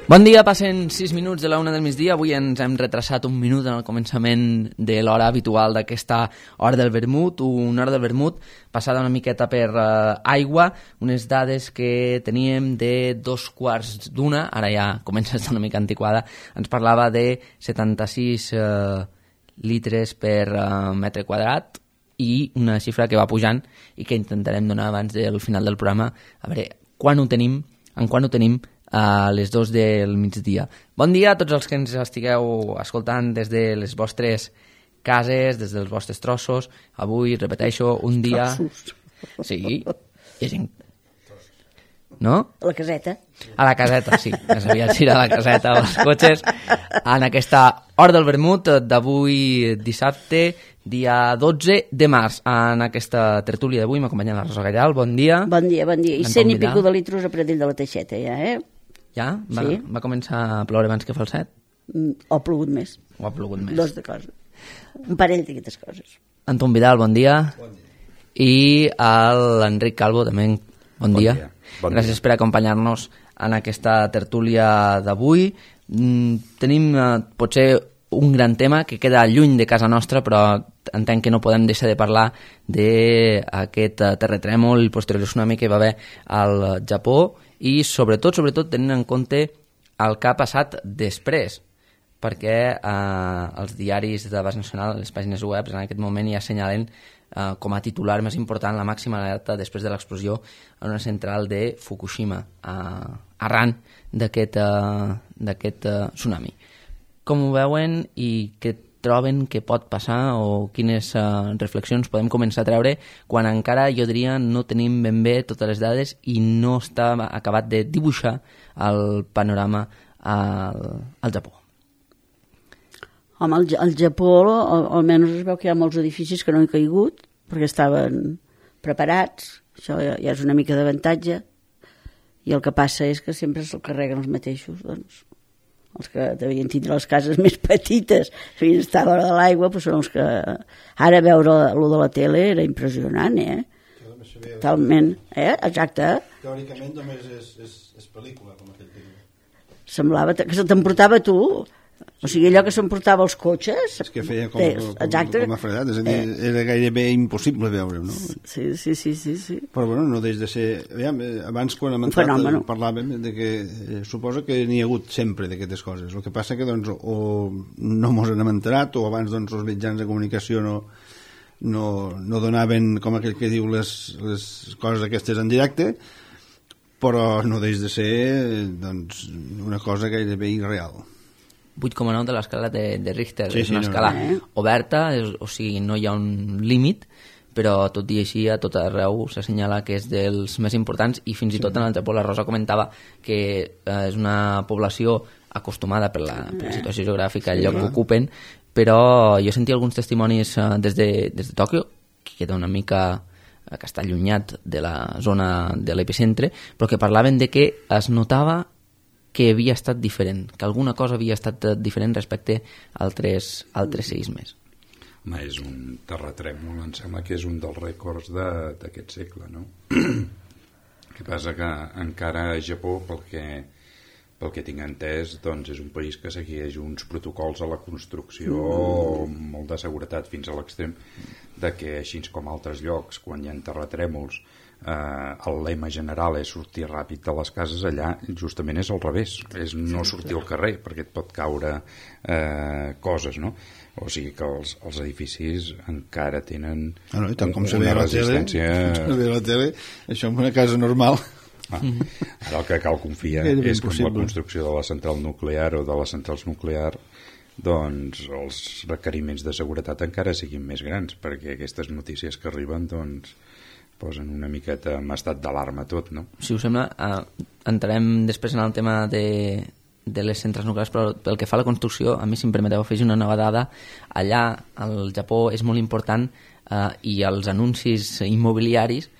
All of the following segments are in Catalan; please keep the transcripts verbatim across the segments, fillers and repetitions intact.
Bon dia, passen sis minuts de la una del migdia. Avui ens hem retrasat un minut en el començament de l'hora habitual d'aquesta hora del vermut, una hora del vermut passada una miqueta per uh, aigua, unes dades que teníem de dos quarts d'una, ara ja comença a estar una mica antiquada, ens parlava de setanta-sis uh, litres per uh, metre quadrat, i una xifra que va pujant i que intentarem donar abans del final del programa, a veure quan ho tenim, en quan ho tenim a les dos del migdia. Bon dia a tots els que ens estigueu escoltant des de les vostres cases, des dels vostres trossos. Avui, repeteixo, un dia... Trossos. Sí, hi ha gent... No? A la caseta. A la caseta, sí. Més aviat ir a la caseta o als cotxes. En aquesta hora del vermut d'avui dissabte, dia dotze de març. En aquesta tertúlia d'avui m'acompanya la Rosa Gallal. Bon dia. Bon dia, bon dia. I cent i pico de litros a Pradell de la Teixeta, ja, eh? Ja? Va, sí. Va començar a ploure abans que fa el set? Mm, o ha plogut més. O ha plogut més. Dos de coses. Un parell d'aquestes coses. Anton Vidal, bon dia. Bon dia. I l'Enric Calvo, també, bon, bon dia. dia. Bon Gràcies dia. Per acompanyar-nos en aquesta tertúlia d'avui. Mm, tenim eh, potser un gran tema que queda lluny de casa nostra, però entenc que no podem deixar de parlar d'aquest terratrèmol i posterior tsunami que hi va haver al Japó, i sobretot, sobretot tenint en compte el que ha passat després, perquè eh, els diaris de base nacional, les pàgines web, en aquest moment ja assenyalen eh, com a titular més important la màxima alerta després de l'explosió en una central de Fukushima, eh, arran d'aquest eh, d'aquest eh, tsunami. Com ho veuen i què troben que pot passar, o quines uh, reflexions podem començar a treure quan encara, jo diria, no tenim ben bé totes les dades i no està acabat de dibuixar el panorama al, al Japó? Home, al, al Japó al, almenys es veu que hi ha molts edificis que no han caigut perquè estaven preparats, això ja, ja és una mica d'avantatge, i el que passa és que sempre se'l carreguen els mateixos, doncs els que devien tindre les cases més petites devien estar a l'hora de l'aigua, però són els que ara veure allò de la tele era impressionant, eh? Totalment, eh? Exacte. Teòricament només és, és, és pel·lícula, com aquell que diu. Semblava que se t'emportava tu, o sigui, allò que s'emportava els cotxes. És que feia com, com, exacte. com a fredat, és a dir, eh. era gairebé impossible veure-ho, no? Sí, sí, sí, sí, sí. Però bueno, no deix de ser... Aviam, abans quan hem entrat fenòmeno. Parlàvem de que eh, suposa que n'hi ha hagut sempre d'aquestes coses. El que passa que doncs o no mos n'hem enterat, o abans doncs els mitjans de comunicació no, no, no donaven, com aquell que diu, les, les coses aquestes en directe, però no deix de ser doncs, una cosa gairebé irreal. vuit coma nou de l'escala de, de Richter, sí, és una sí, escala no, no. oberta, és, o sigui, no hi ha un límit, però tot i així a tot arreu s'assenyala que és dels més importants, i fins i tot en el Japó la Rosa comentava que eh, és una població acostumada per la, per la situació geogràfica, el lloc que ocupen, però jo sentia alguns testimonis eh, des, de, des de Tòquio, que queda una mica eh, que està allunyat de la zona de l'epicentre, però que parlaven de que es notava que havia estat diferent, que alguna cosa havia estat diferent respecte a altres, altres seismes. Home, és un terratrèmol, em sembla que és un dels rècords d'aquest segle, no? El que passa que encara a Japó, pel que, pel que tinc entès, doncs és un país que segueix uns protocols a la construcció mm. molt de seguretat fins a l'extrem de que, així com altres llocs, quan hi ha terratrèmols, Uh, el lema general és sortir ràpid de les cases, allà justament és al revés, és no sortir al carrer perquè et pot caure uh, coses, no? O sigui que els, els edificis encara tenen ah, no, tant com una se ve a la resistència... tele, se ve a la tele, això en una casa normal. Ah, ara el que cal confiar és que amb la construcció de la central nuclear o de les centrals nuclears, doncs els requeriments de seguretat encara siguin més grans, perquè aquestes notícies que arriben doncs posen una miqueta en estat d'alarma tot, no? Si us sembla, eh, entrarem després en el tema de, de les centrals nuclears, però pel que fa a la construcció, a mi, si em permeteu afegir una nova dada, allà al Japó és molt important, eh, i els anuncis immobiliaris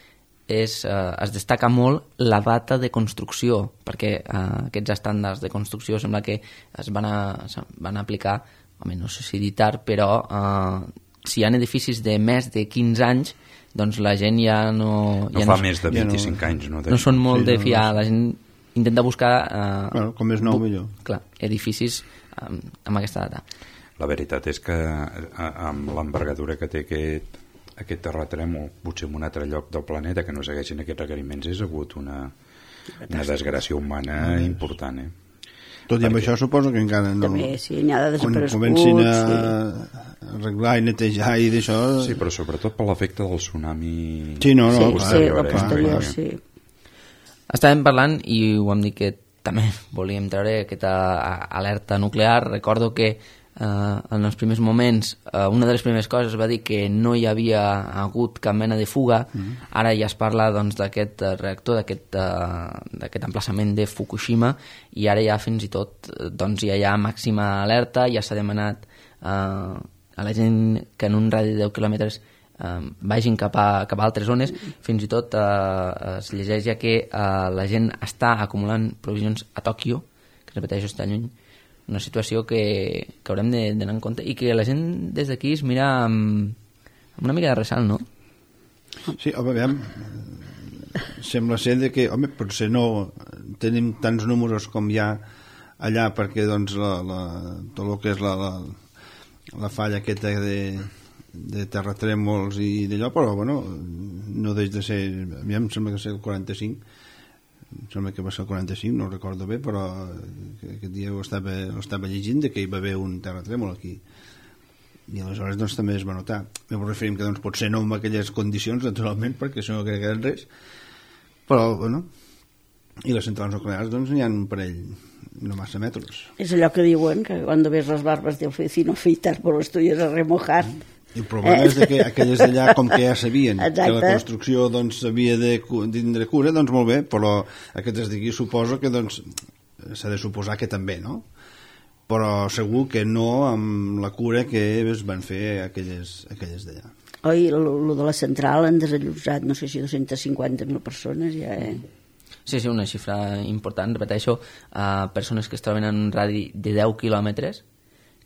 és, eh, es destaca molt la data de construcció, perquè eh, aquests estàndards de construcció sembla que es van, a, es van aplicar, home, no sé si dir tard, però eh, si hi ha edificis de més de quinze anys, doncs la gent ja no... No ja fa no, més de vint-i-cinc ja no, anys, no? No són molt sí, de no, fiar, no, la gent intenta buscar... Eh, bueno, com és nou, millor. Clar, edificis amb, amb aquesta data. La veritat és que amb l'envergadura que té aquest, aquest terratrèmol, potser en un altre lloc del planeta que no segueixin aquests requeriments, és hagut una, una desgràcia humana ah, important, eh? Tot i amb Perquè... això suposo que encara no... També, sí, n'hi ha de quan desapareguts. comencin a sí. arreglar i netejar i d'això... Sí, però sobretot per l'efecte del tsunami... Sí, no, no, sí, clar, sí, clar, la posterior, clar. sí. Estàvem parlant, i ho hem dit que també volíem treure aquesta alerta nuclear. Recordo que eh, en els primers moments eh, una de les primeres coses va dir que no hi havia hagut cap mena de fuga. Mm-hmm. Ara ja es parla doncs, d'aquest reactor, d'aquest uh, emplaçament de Fukushima, i ara ja fins i tot doncs, ja hi ha màxima alerta. Ja s'ha demanat uh, a la gent que en un radi de deu quilòmetres Uh, vagin cap a, cap a altres zones. Fins i tot uh, es llegeix ja que uh, la gent està acumulant provisions a Tòquio, que repeteixo està lluny, una situació que, que haurem d'anar en compte i que la gent des d'aquí es mira amb, amb una mica de ressalt, no? Sí, home, aviam, sembla ser de que, home, potser no tenim tants números com hi ha allà, perquè doncs la, la, tot el que és la, la, la falla aquesta de de terratrèmols i d'allò, però bueno, no deix de ser, a mi em sembla que ser el quaranta-cinc, em sembla que va ser el quaranta-cinc, no ho recordo bé, però aquest dia ho estava, ho estava llegint de que hi va haver un terratrèmol aquí, i aleshores doncs també es va notar. Me referim que doncs potser no amb aquelles condicions, naturalment, perquè això no queda res, però bueno, i les centrals nuclears doncs n'hi ha un parell, no massa metros. És allò que diuen, que quan ves les barbes del vecino afeitar por los tuyos a remojar. I el problema eh? és de que aquelles d'allà, com que ja sabien Exacte. que la construcció doncs, havia de tindre cura, doncs molt bé, però aquestes d'aquí suposo que doncs, s'ha de suposar que també, no? Però segur que no amb la cura que es van fer aquelles, aquelles d'allà. Oi, el de la central han desallotjat, no sé si dues-centes cinquanta mil persones, ja, eh? Sí, sí, una xifra important, repeteixo, a persones que es troben en un radi de deu quilòmetres,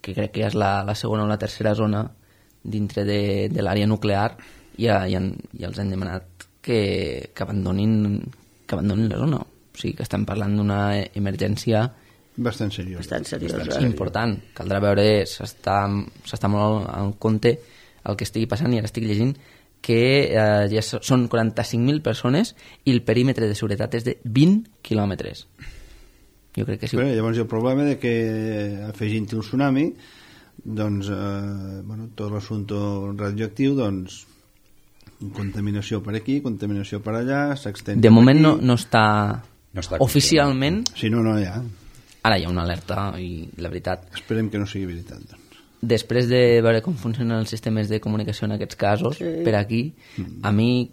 que crec que ja és la, la segona o la tercera zona dintre de, de l'àrea nuclear, i ja, ja, ja els han demanat que, que, abandonin, que abandonin la zona. O sigui que estem parlant d'una emergència bastant seriosa. Bastant seriosa. Bastant important. Caldrà veure, s'està molt al compte el que estigui passant, i ara estic llegint que eh, ja són quaranta-cinc mil persones i el perímetre de seguretat és de vint quilòmetres. Jo crec que sí. Bé, llavors hi ha el problema de que afegint-hi el tsunami, doncs, eh, bueno, tot l'assumpte radioactiu, doncs, contaminació per aquí, contaminació per allà, s'extén. De moment no, no està, no està oficialment. Si no, no hi ha. Ara hi ha una alerta, i la veritat... Esperem que no sigui veritat, doncs. Després de veure com funcionen els sistemes de comunicació en aquests casos, sí. per aquí, mm. a mi,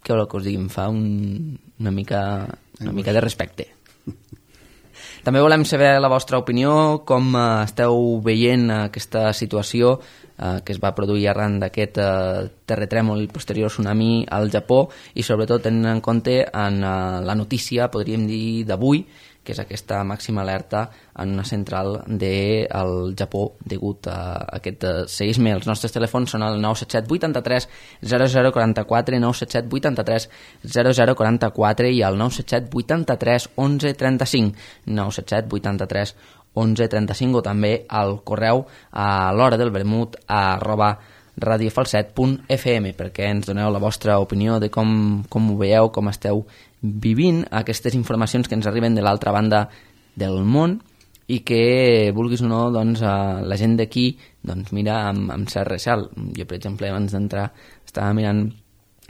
què vol que us digui, em fa un, una, mica, una mica de respecte. També volem saber la vostra opinió, com uh, esteu veient aquesta situació uh, que es va produir arran d'aquest uh, terratrèmol i posterior tsunami al Japó, i sobretot tenint en compte en uh, la notícia, podríem dir, d'avui, que és aquesta màxima alerta en una central del Japó degut a aquest seisme. Els nostres telèfons són el nou set set vuitanta-tres zero zero quaranta-quatre, nou set set vuitanta-tres zero zero quaranta-quatre i el nou set set vuitanta-tres onze trenta-cinc, nou set set vuitanta-tres onze trenta-cinc, o també al correu a l'hora del vermut arroba radiofalset punt f m, perquè ens doneu la vostra opinió de com, com ho veieu, com esteu vivint aquestes informacions que ens arriben de l'altra banda del món, i que, vulguis o no, doncs, la gent d'aquí doncs, mira amb, amb cert recel. Jo, per exemple, abans d'entrar estava mirant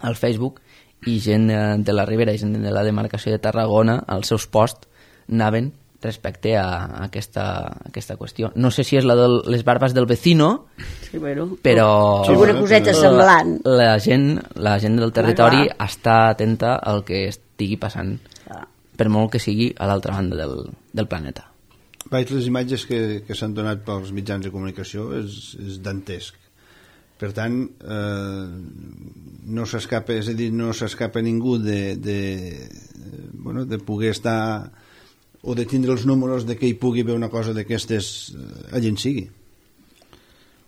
al Facebook, i gent de la Ribera i gent de la demarcació de Tarragona, els seus posts anaven respecte a aquesta, a aquesta qüestió. No sé si és la de les barbes del vecino, sí, bueno, però sí, una coseta semblant. La, la, gent, la gent del territori ah, està atenta al que estigui passant, ah. per molt que sigui a l'altra banda del, del planeta. Vaig, les imatges que, que s'han donat pels mitjans de comunicació és, és dantesc. Per tant, eh, no s'escapa, és a dir, no s'escapa ningú de, de, bueno, de poder estar o de tindre els números de que hi pugui haver una cosa d'aquestes allà en sigui.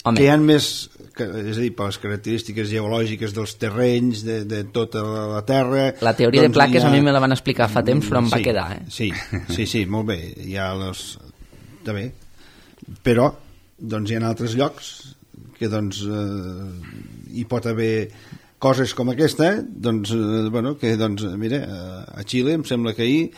Home. Que hi ha més, és a dir, per les característiques geològiques dels terrenys, de, de tota la terra... La teoria doncs de plaques ha... ha... a mi me la van explicar fa temps, però em sí, va quedar. Eh? Sí, sí, sí, molt bé. Hi ha les... També. Però, doncs, hi ha altres llocs que, doncs, eh, hi pot haver coses com aquesta, doncs, eh, bueno, que, doncs, mira, a Xile em sembla que ahir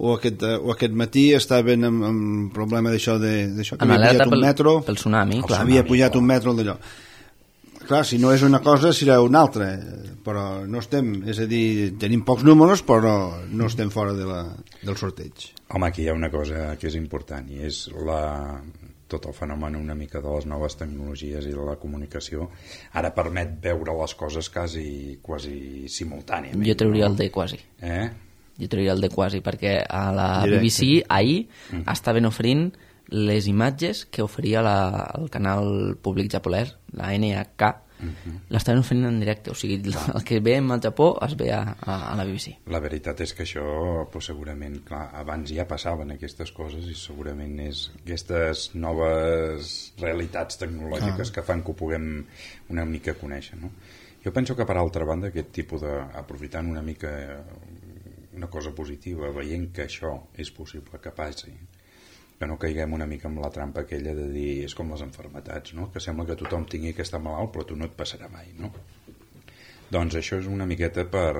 o aquest, o aquest matí estaven amb, amb problema d'això de, d'això que amb havia pujat un pel, metro pel tsunami, clar. Havia pujat un metro d'allò. Clar, si no és una cosa serà una altra, però no estem, és a dir, tenim pocs números però no estem fora de la, del sorteig. Home, aquí hi ha una cosa que és important i és la, tot el fenomen una mica de les noves tecnologies i de la comunicació ara permet veure les coses quasi, quasi simultàniament. Jo trauria el de quasi. Eh? Jo trauria el de quasi, perquè a la B B C ahir mm. estaven oferint les imatges que oferia la, el canal públic japonès, la N H K, mm-hmm. l'estaven oferint en directe, o sigui, el que veiem al Japó es ve a, a, a la B B C. La veritat és que això, pues, segurament, clar, abans ja passaven aquestes coses i segurament és aquestes noves realitats tecnològiques ah. que fan que ho puguem una mica conèixer, no? Jo penso que, per altra banda, aquest tipus de... aprofitant una mica una cosa positiva, veient que això és possible que passi, que no caiguem una mica amb la trampa aquella de dir, és com les enfermetats, no? Que sembla que tothom tingui que estar malalt però tu no et passarà mai, no? Doncs això és una miqueta per...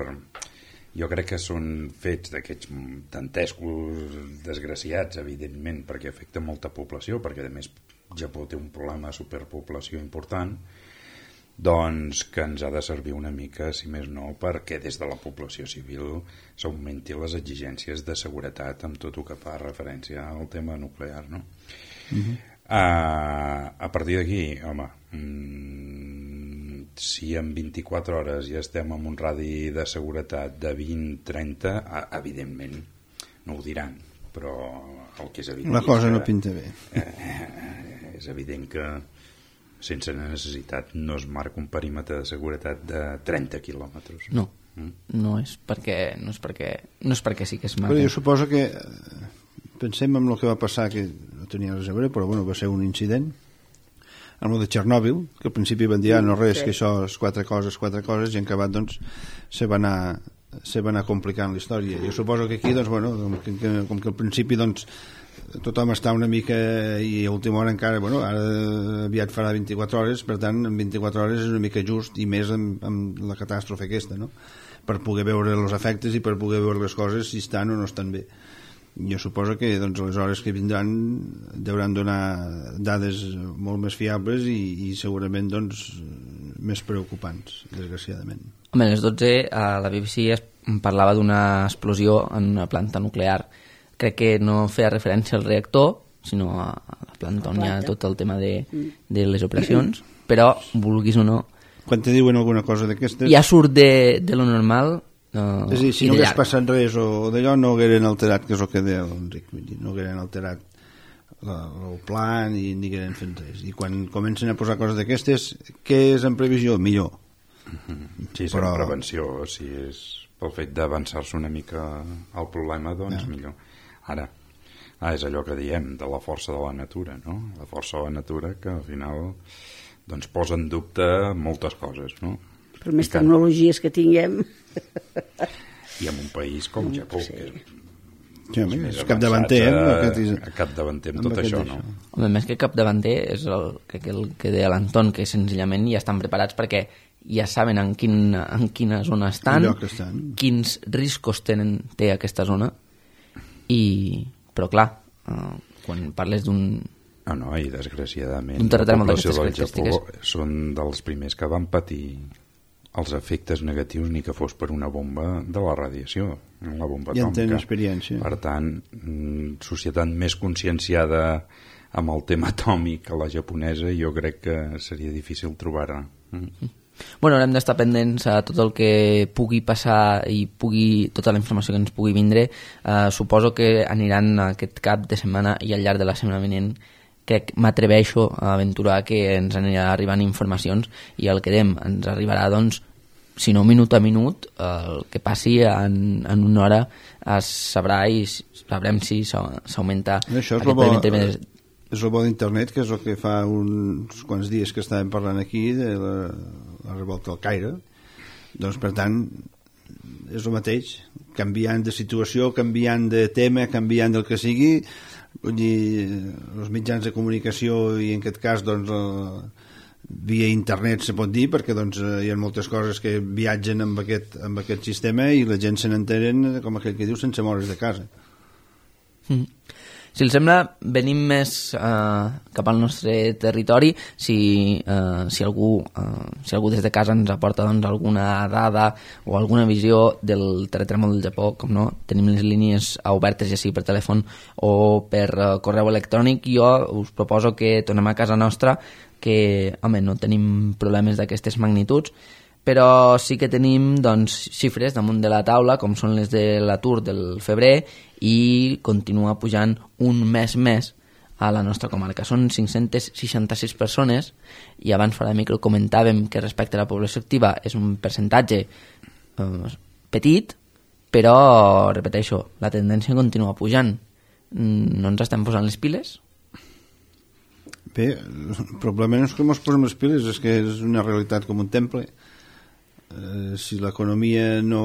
Jo crec que són fets d'aquests dantescos desgraciats, evidentment, perquè afecta molta població, perquè a més Japó té un problema de superpoblació important, doncs que ens ha de servir una mica, si més no, perquè des de la població civil s'augmenti les exigències de seguretat amb tot el que fa referència al tema nuclear, no? Uh-huh. Uh, a partir d'aquí, home, mm, si en vint-i-quatre hores ja estem amb un radi de seguretat de vint a trenta, evidentment no ho diran, però el que és evident... La cosa que, no pinta bé. Eh, és evident que sense necessitat no es marca un perímetre de seguretat de trenta quilòmetres. No, mm? no és perquè no és perquè, no és perquè sí que es marca. Però jo suposo que pensem en el que va passar, que no tenia res a veure, però bueno, va ser un incident amb el de Txernòbil, que al principi van dir ah, no res, sí. que això és quatre coses, quatre coses, i en acabat doncs se va anar, se va anar complicant la història. Jo suposo que aquí, doncs, bueno, com que, com que al principi doncs tothom està una mica i a última hora encara, bueno, ara aviat farà vint-i-quatre hores, per tant en vint-i-quatre hores és una mica just, i més amb, amb la catàstrofe aquesta, no? Per poder veure els efectes i per poder veure les coses si estan o no estan bé. Jo suposo que doncs, les hores que vindran deuran donar dades molt més fiables i, i segurament doncs, més preocupants, desgraciadament. Home, a les dotze a la B B C es parlava d'una explosió en una planta nuclear. Crec que no feia referència al reactor, sinó a la planta on hi ha tot el tema de, de les operacions, però, vulguis o no... Quan te diuen alguna cosa d'aquestes... Ja surt de, de lo normal... Uh, és a dir, si no hagués passat res o d'allò, no hagueren alterat, que és el que deia l'Enric, no hagueren alterat la, el pla ni, ni hagueren fet res. I quan comencen a posar coses d'aquestes, què és en previsió? Millor. Sí, és Però... en prevenció, si és pel fet d'avançar-se una mica al problema, doncs ja. millor. Ara, ah, és allò que diem de la força de la natura, no? La força de la natura que al final doncs, posa en dubte moltes coses, no? Per més I tecnologies que tinguem... I en un país com el Japó, sí. que és, sí, home, és capdavanter, a capdavanter amb tot això, no? Home, més que capdavanter és el que, el que deia l'Anton, que senzillament ja estan preparats perquè ja saben en, quin, en quina zona estan, estan, quins riscos tenen, té aquesta zona. I, però clar, uh, quan parles d'un ah, no, i desgraciadament un terratrèmol d'aquestes característiques són dels primers que van patir els efectes negatius ni que fos per una bomba de la radiació, la bomba atòmica. Ja en tenen experiència. Per tant, societat més conscienciada amb el tema atòmic que la japonesa, jo crec que seria difícil trobar-la. Mm. Bueno, haurem d'estar pendents a tot el que pugui passar i pugui, tota la informació que ens pugui vindre. Uh, suposo que aniran aquest cap de setmana i al llarg de la setmana vinent crec, m'atreveixo a aventurar que ens anirà arribant informacions i el que dèiem, ens arribarà doncs si no minut a minut, el que passi en, en una hora es sabrà i sabrem si s'augmenta això aquest primer terme. És el bo d'internet, que és el que fa uns quants dies que estàvem parlant aquí de la, la revolta del Caire. Doncs per tant és el mateix, canviant de situació, canviant de tema, canviant del que sigui, vull dir, els mitjans de comunicació i en aquest cas doncs el, via internet se pot dir, perquè doncs hi ha moltes coses que viatgen amb aquest, amb aquest sistema i la gent se n'enteren, com aquell que diu, sense moure's de casa. Mm. Si els sembla, venim més eh, cap al nostre territori. Si, eh, si, algú, eh, si algú des de casa ens aporta doncs, alguna dada o alguna visió del terratrèmol del Japó, com no, tenim les línies obertes ja sigui per telèfon o per eh, correu electrònic. Jo us proposo que tornem a casa nostra, que home, no tenim problemes d'aquestes magnituds, però sí que tenim doncs, xifres damunt de la taula, com són les de l'atur del febrer, i continua pujant un mes més a la nostra comarca. Són cinc-centes seixanta-sis persones, i abans fora de micro comentàvem que respecte a la població activa és un percentatge eh, petit, però, repeteixo, la tendència continua pujant. No ens estem posant les piles? Bé, el problema no és que ens posem les piles, és que és una realitat com un temple. Eh, si l'economia no,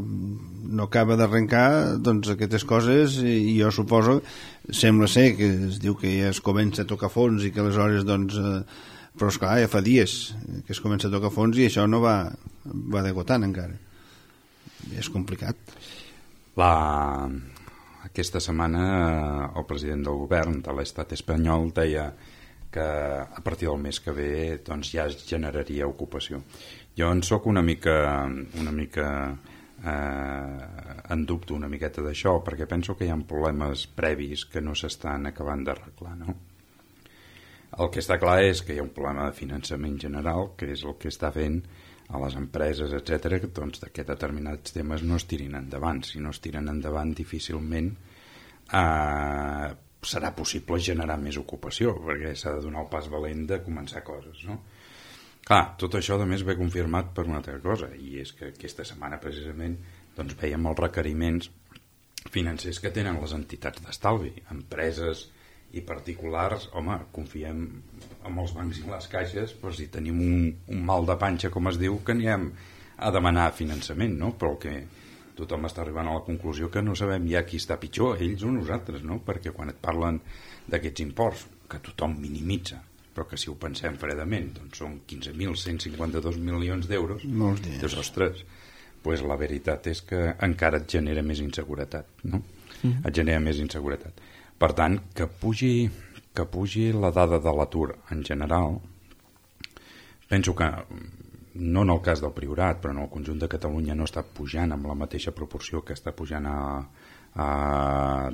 no acaba d'arrencar, doncs aquestes coses, i jo suposo, sembla ser que es diu que ja es comença a tocar fons i que aleshores doncs, eh, però esclar, ja fa dies que es comença a tocar fons i això no va, va degotant encara. És complicat. La... Aquesta setmana el president del govern de l'estat espanyol deia que a partir del mes que ve doncs, ja es generaria ocupació. Jo en soc una mica, una mica eh, en dubte una miqueta d'això, perquè penso que hi ha problemes previs que no s'estan acabant d'arreglar, no? El que està clar és que hi ha un problema de finançament general, que és el que està fent a les empreses, etcètera, que doncs, que determinats temes no es tirin endavant. Si no es tiren endavant, difícilment eh, serà possible generar més ocupació, perquè s'ha de donar el pas valent de començar coses, no? Clar, tot això a més ve confirmat per una altra cosa, i és que aquesta setmana precisament doncs, veiem els requeriments financers que tenen les entitats d'estalvi, empreses i particulars. Home, confiem en els bancs i les caixes, però si tenim un, un mal de panxa, com es diu, que anirem a demanar finançament, no? Però que tothom està arribant a la conclusió que no sabem ja qui està pitjor, ells o nosaltres, no? Perquè quan et parlen d'aquests imports, que tothom minimitza, però que si ho pensem fredament doncs són quinze mil cent cinquanta-dos milions d'euros, doncs ostres, pues la veritat és que encara et genera més inseguretat, no? Mm. Et genera més inseguretat. Per tant, que pugi, que pugi la dada de l'atur en general, penso que no en el cas del Priorat, però en el conjunt de Catalunya no està pujant amb la mateixa proporció que està pujant a, a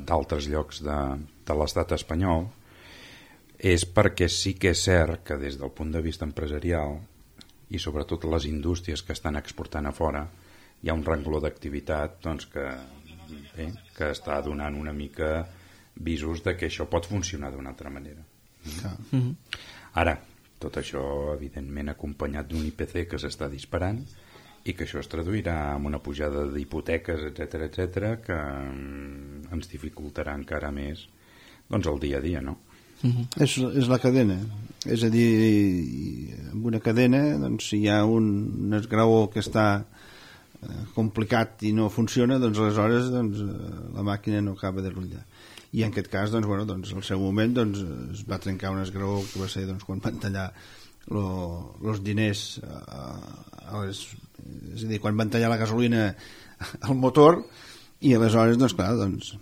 d'altres llocs de, de l'estat espanyol, és perquè sí que és cert que des del punt de vista empresarial i sobretot les indústries que estan exportant a fora hi ha un rengló d'activitat doncs, que, bé, que està donant una mica visos de que això pot funcionar d'una altra manera. Mm-hmm. Ara, tot això evidentment acompanyat d'un I P C que s'està disparant i que això es traduirà en una pujada d'hipoteques, etcètera, etcètera, que ens dificultarà encara més doncs, el dia a dia, no? Uh-huh. És, és la cadena, és a dir, en una cadena doncs, si hi ha un, un esgraó que està eh, complicat i no funciona, doncs aleshores doncs, la màquina no acaba de rutllar, i en aquest cas doncs, bueno, doncs, al seu moment doncs, es va trencar un esgraó que va ser doncs, quan van tallar els diners a, a les, és a dir, quan van tallar la gasolina al motor, i aleshores doncs clar, doncs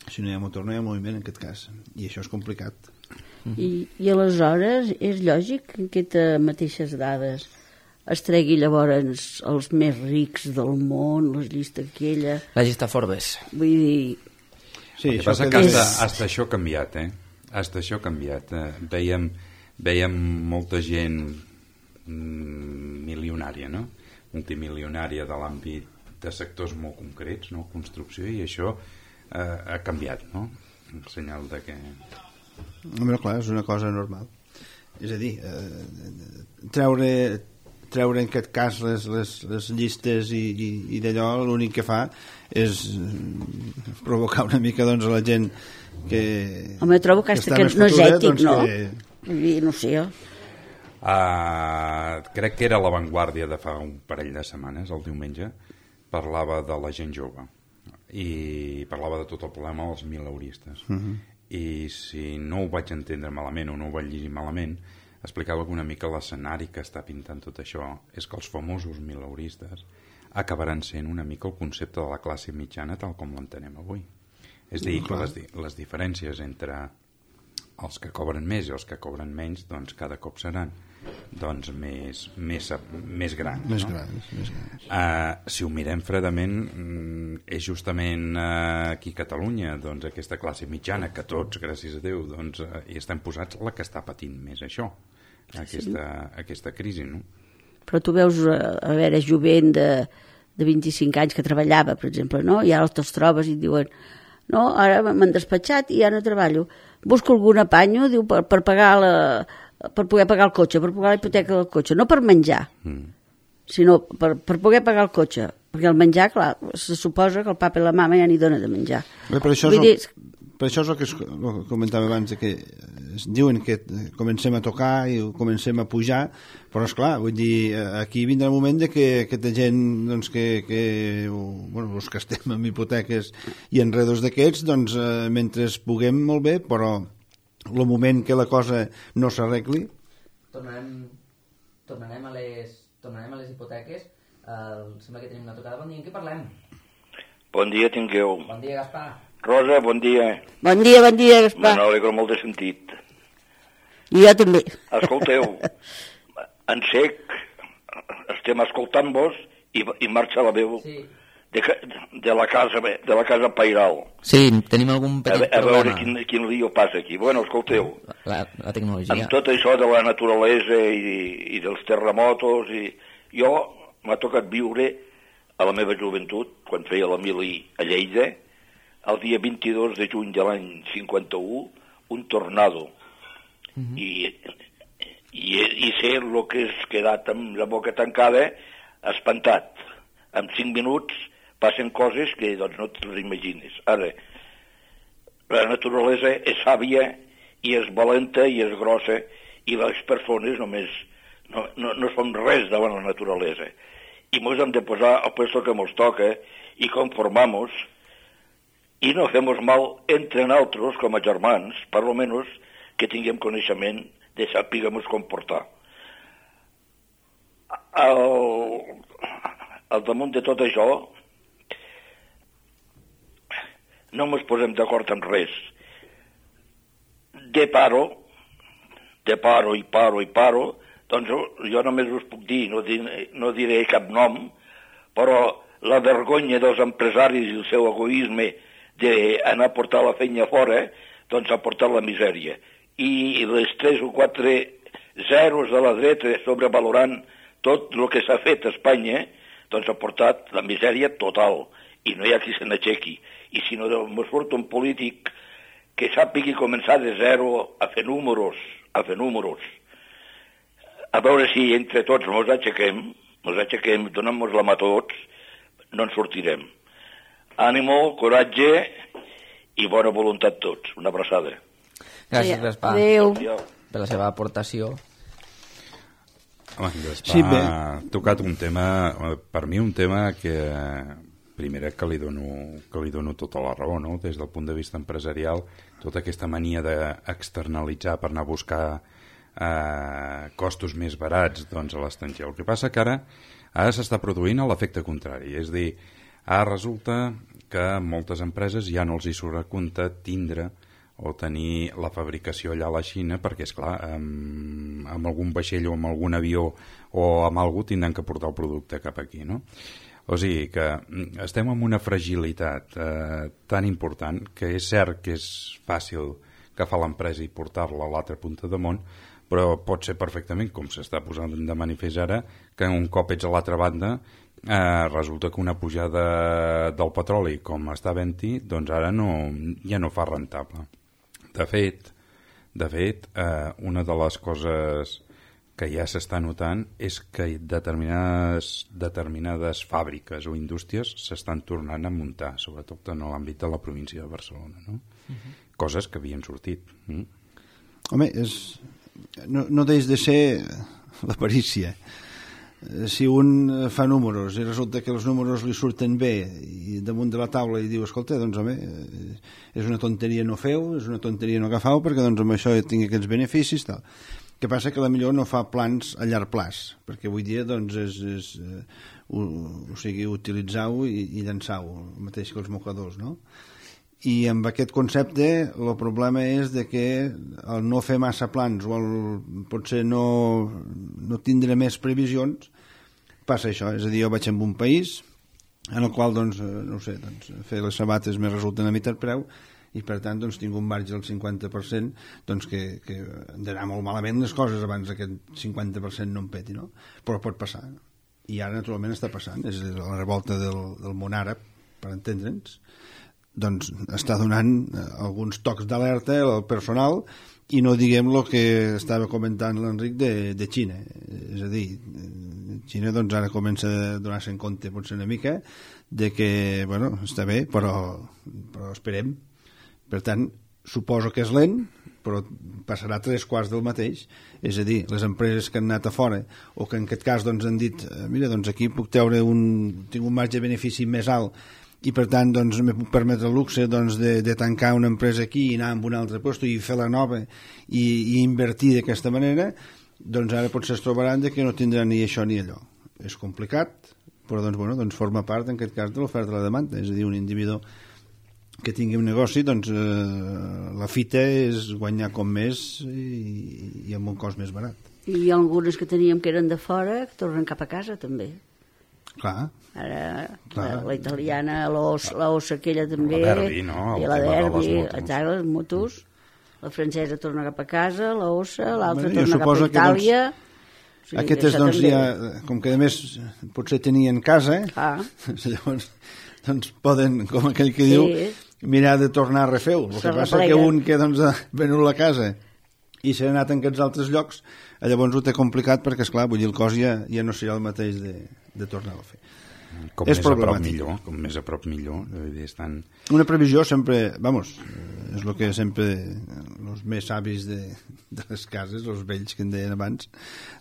si no hi ha motor no hi ha moviment en aquest cas, i això és complicat. I, i aleshores és lògic que aquestes mateixes dades es tregui llavors els més rics del món, les llistes aquella... La llista Forbes. Vull dir... Sí, el que passa que hasta, hasta això ha canviat, eh? Hasta això ha canviat. Eh? Veiem, veiem molta gent mm, milionària, no? Multimilionària de l'àmbit de sectors molt concrets, no? Construcció, i això eh, ha canviat, no? Un senyal de que Home, clar, és una cosa normal. És a dir, eh, treure, treure en aquest cas les, les, les llistes i, i, i d'allò l'únic que fa és provocar una mica doncs, a la gent que... Home, trobo que, que, que no és ètic, doncs, no? Que... No sé jo. Uh, crec que era La Vanguardia de fa un parell de setmanes, el diumenge, parlava de la gent jove i parlava de tot el problema dels mileuristes. Uh-huh. I si no ho vaig entendre malament o no ho vaig llegir malament, explicava que una mica l'escenari que està pintant tot això és que els famosos mileuristes acabaran sent una mica el concepte de la classe mitjana tal com l'entenem avui. És a dir, que les, les diferències entre els que cobren més i els que cobren menys, doncs cada cop seran doncs més, més, més grans. Més no? grans, més grans. Uh, si ho mirem fredament, és justament uh, aquí a Catalunya, doncs aquesta classe mitjana, que tots, gràcies a Déu, doncs, uh, hi estan posats, la que està patint més això, aquesta, sí. aquesta crisi, no? Però tu veus, a veure, jovent de, de vint-i-cinc anys que treballava, per exemple, no? I ara te'ls trobes i et diuen no, ara m'han despatxat i ja no treballo. Busco algun apanyo, diu, per, per pagar la... per poder pagar el cotxe, per pagar la hipoteca del cotxe, no per menjar, mm. sinó per, per poder pagar el cotxe, perquè el menjar, clar, se suposa que el papa i la mama ja n'hi dona de menjar. Bé, per, això és el, dir... per això és el que es, el comentava abans, que es diuen que comencem a tocar i comencem a pujar, però esclar, vull dir, aquí vindrà el moment de que aquesta gent, doncs, que, que bueno, els que estem amb hipoteques i enredos d'aquests, doncs, eh, mentre puguem molt bé, però el moment que la cosa no s'arregli... Tornarem, tornarem, a les, tornarem a les hipoteques. Uh, sembla que tenim una tocada. Bon dia, en què parlem? Bon dia tingueu. Bon dia, Gaspar. Rosa, bon dia. Bon dia, bon dia, Gaspar. Me n'alegro molt de sentit. I jo també. Escolteu, en sec, estem escoltant-vos i, i marxa la veu. Sí. De, de la casa de la casa Pairal. Sí, tenim algun petit a, a problema. veure quin, quin lío passa aquí. Bueno, escolteu, la, la tecnologia. Amb tot això de la naturalesa i, i dels terremotos, i jo m'ha tocat viure a la meva joventut, quan feia la mili a Lleida, el dia vint-i-dos de juny de l'any cinquanta-u, un tornado. Uh-huh. I, i, i sé el que és quedat amb la boca tancada, espantat. En cinc minuts passen coses que doncs, no te les imagines. Ara, la naturalesa és sàvia i és valenta i és grossa i les persones només no, no, no som res davant la naturalesa. I ens hem de posar al puesto que ens toca i conformar-nos i no fem-nos mal entre nosaltres com a germans, per almenys que tinguem coneixement de saber-nos comportar. Al, al damunt de tot això no ens posem d'acord en res. De paro, de paro i paro i paro, doncs jo només us puc dir, no, dir, no diré cap nom, però la vergonya dels empresaris i el seu egoisme d'anar a portar la feina fora, doncs ha portat la misèria. I les tres o quatre zeros de la dreta sobrevalorant tot el que s'ha fet a Espanya, doncs ha portat la misèria total. I no hi ha qui se n'aixequi. I si no ens surt un polític que sàpigui començar de zero a fer números, a fer números, a veure si entre tots ens aixequem, ens aixequem, donem-nos la mà a tots, no ens sortirem. Ànimo, coratge i bona voluntat tots. Una abraçada. Gràcies, Gaspar, Adéu. per la seva aportació. Home, Gaspar sí, ha tocat un tema, per mi un tema que primera que li dono, que li dono tota la raó, no? Des del punt de vista empresarial, tota aquesta mania d'externalitzar per anar a buscar eh, costos més barats doncs, a l'estranger. El que passa que ara, ara s'està produint l'efecte contrari, és a dir, ara resulta que moltes empreses ja no els hi surt a compte tindre o tenir la fabricació allà a la Xina perquè, esclar, amb, amb algun vaixell o amb algun avió o amb algú tindran que portar el producte cap aquí, no? O sigui que estem en una fragilitat eh, tan important que és cert que és fàcil agafar l'empresa i portar-la a l'altra punta de món, però pot ser perfectament, com s'està posant de manifest ara, que un cop ets a l'altra banda eh, resulta que una pujada del petroli com està havent-hi, doncs ara no, ja no fa rentable. De fet, De fet, eh, una de les coses que ja s'està notant és que determinades, determinades fàbriques o indústries s'estan tornant a muntar, sobretot en l'àmbit de la província de Barcelona, no? Uh-huh. Coses que havien sortit. Mm? Home, és... no, no deix de ser l'aparícia. Si un fa números i resulta que els números li surten bé i damunt de la taula i diu, escolta, doncs home, és una tonteria no feu, és una tonteria no agafau, perquè doncs amb això tingui aquests beneficis, tal. Que passa que potser no fa plans a llarg plaç, perquè avui dia doncs és, és uh, o, o sigui, utilitzar-ho i, i llançar-ho, el mateix que els mocadors, no? I amb aquest concepte el problema és de que el no fer massa plans o el, potser no, no tindre més previsions, passa això, és a dir, jo vaig en un país en el qual, doncs, no ho sé, doncs, fer les sabates me resulta a mitjà preu i per tant doncs, tinc un marge del cinquanta per cent doncs, que, que han d'anar molt malament les coses abans que aquest cinquanta per cent no em peti, no? Però pot passar. I ara naturalment està passant, és a dir, la revolta del, del món àrab, per entendre'ns, doncs està donant alguns tocs d'alerta al personal i no diguem el que estava comentant l'Enric de, de Xina. És a dir, Xina doncs ara comença a donar-se en compte potser una mica de que, bueno, està bé, però, però esperem. Per tant, suposo que és lent, però passarà tres quarts del mateix. És a dir, les empreses que han anat a fora o que en aquest cas doncs, han dit mira, doncs aquí puc treure un, tinc un marge de benefici més alt i per tant doncs, me puc permetre el luxe doncs, de, de tancar una empresa aquí i anar a un altre lloc i fer la nova i, i invertir d'aquesta manera, doncs ara potser es trobaran de que no tindran ni això ni allò. És complicat, però doncs, bueno, doncs forma part en aquest cas de l'oferta de la demanda. És a dir, un individu que tingui un negoci, doncs eh, la fita és guanyar com més i, i amb un cost més barat. I algunes que teníem que eren de fora que tornen cap a casa també. Clar. Ara clar. La, la italiana, l'ossa aquella també, la Derbi, no? I la Derbi, exacte, les motos. La francesa torna cap a casa, l'ossa, l'altra bueno, torna cap a Itàlia. Doncs, o sigui, aquestes doncs també... ja, com que a més potser tenien casa, ah. llavors doncs poden, com aquell que sí. diu, mirar de tornar a refer-ho. El que passa que un que doncs, ha venut la casa i s'ha anat en aquests altres llocs, llavors ho té complicat perquè, esclar, vull dir, el cost ja, ja no serà el mateix de, de tornar-ho a fer. Com és més a prop millor, com més a prop millor. Estan... Una previsió sempre, vamos, és el que sempre els més savis de, de les cases, els vells que en deien abans,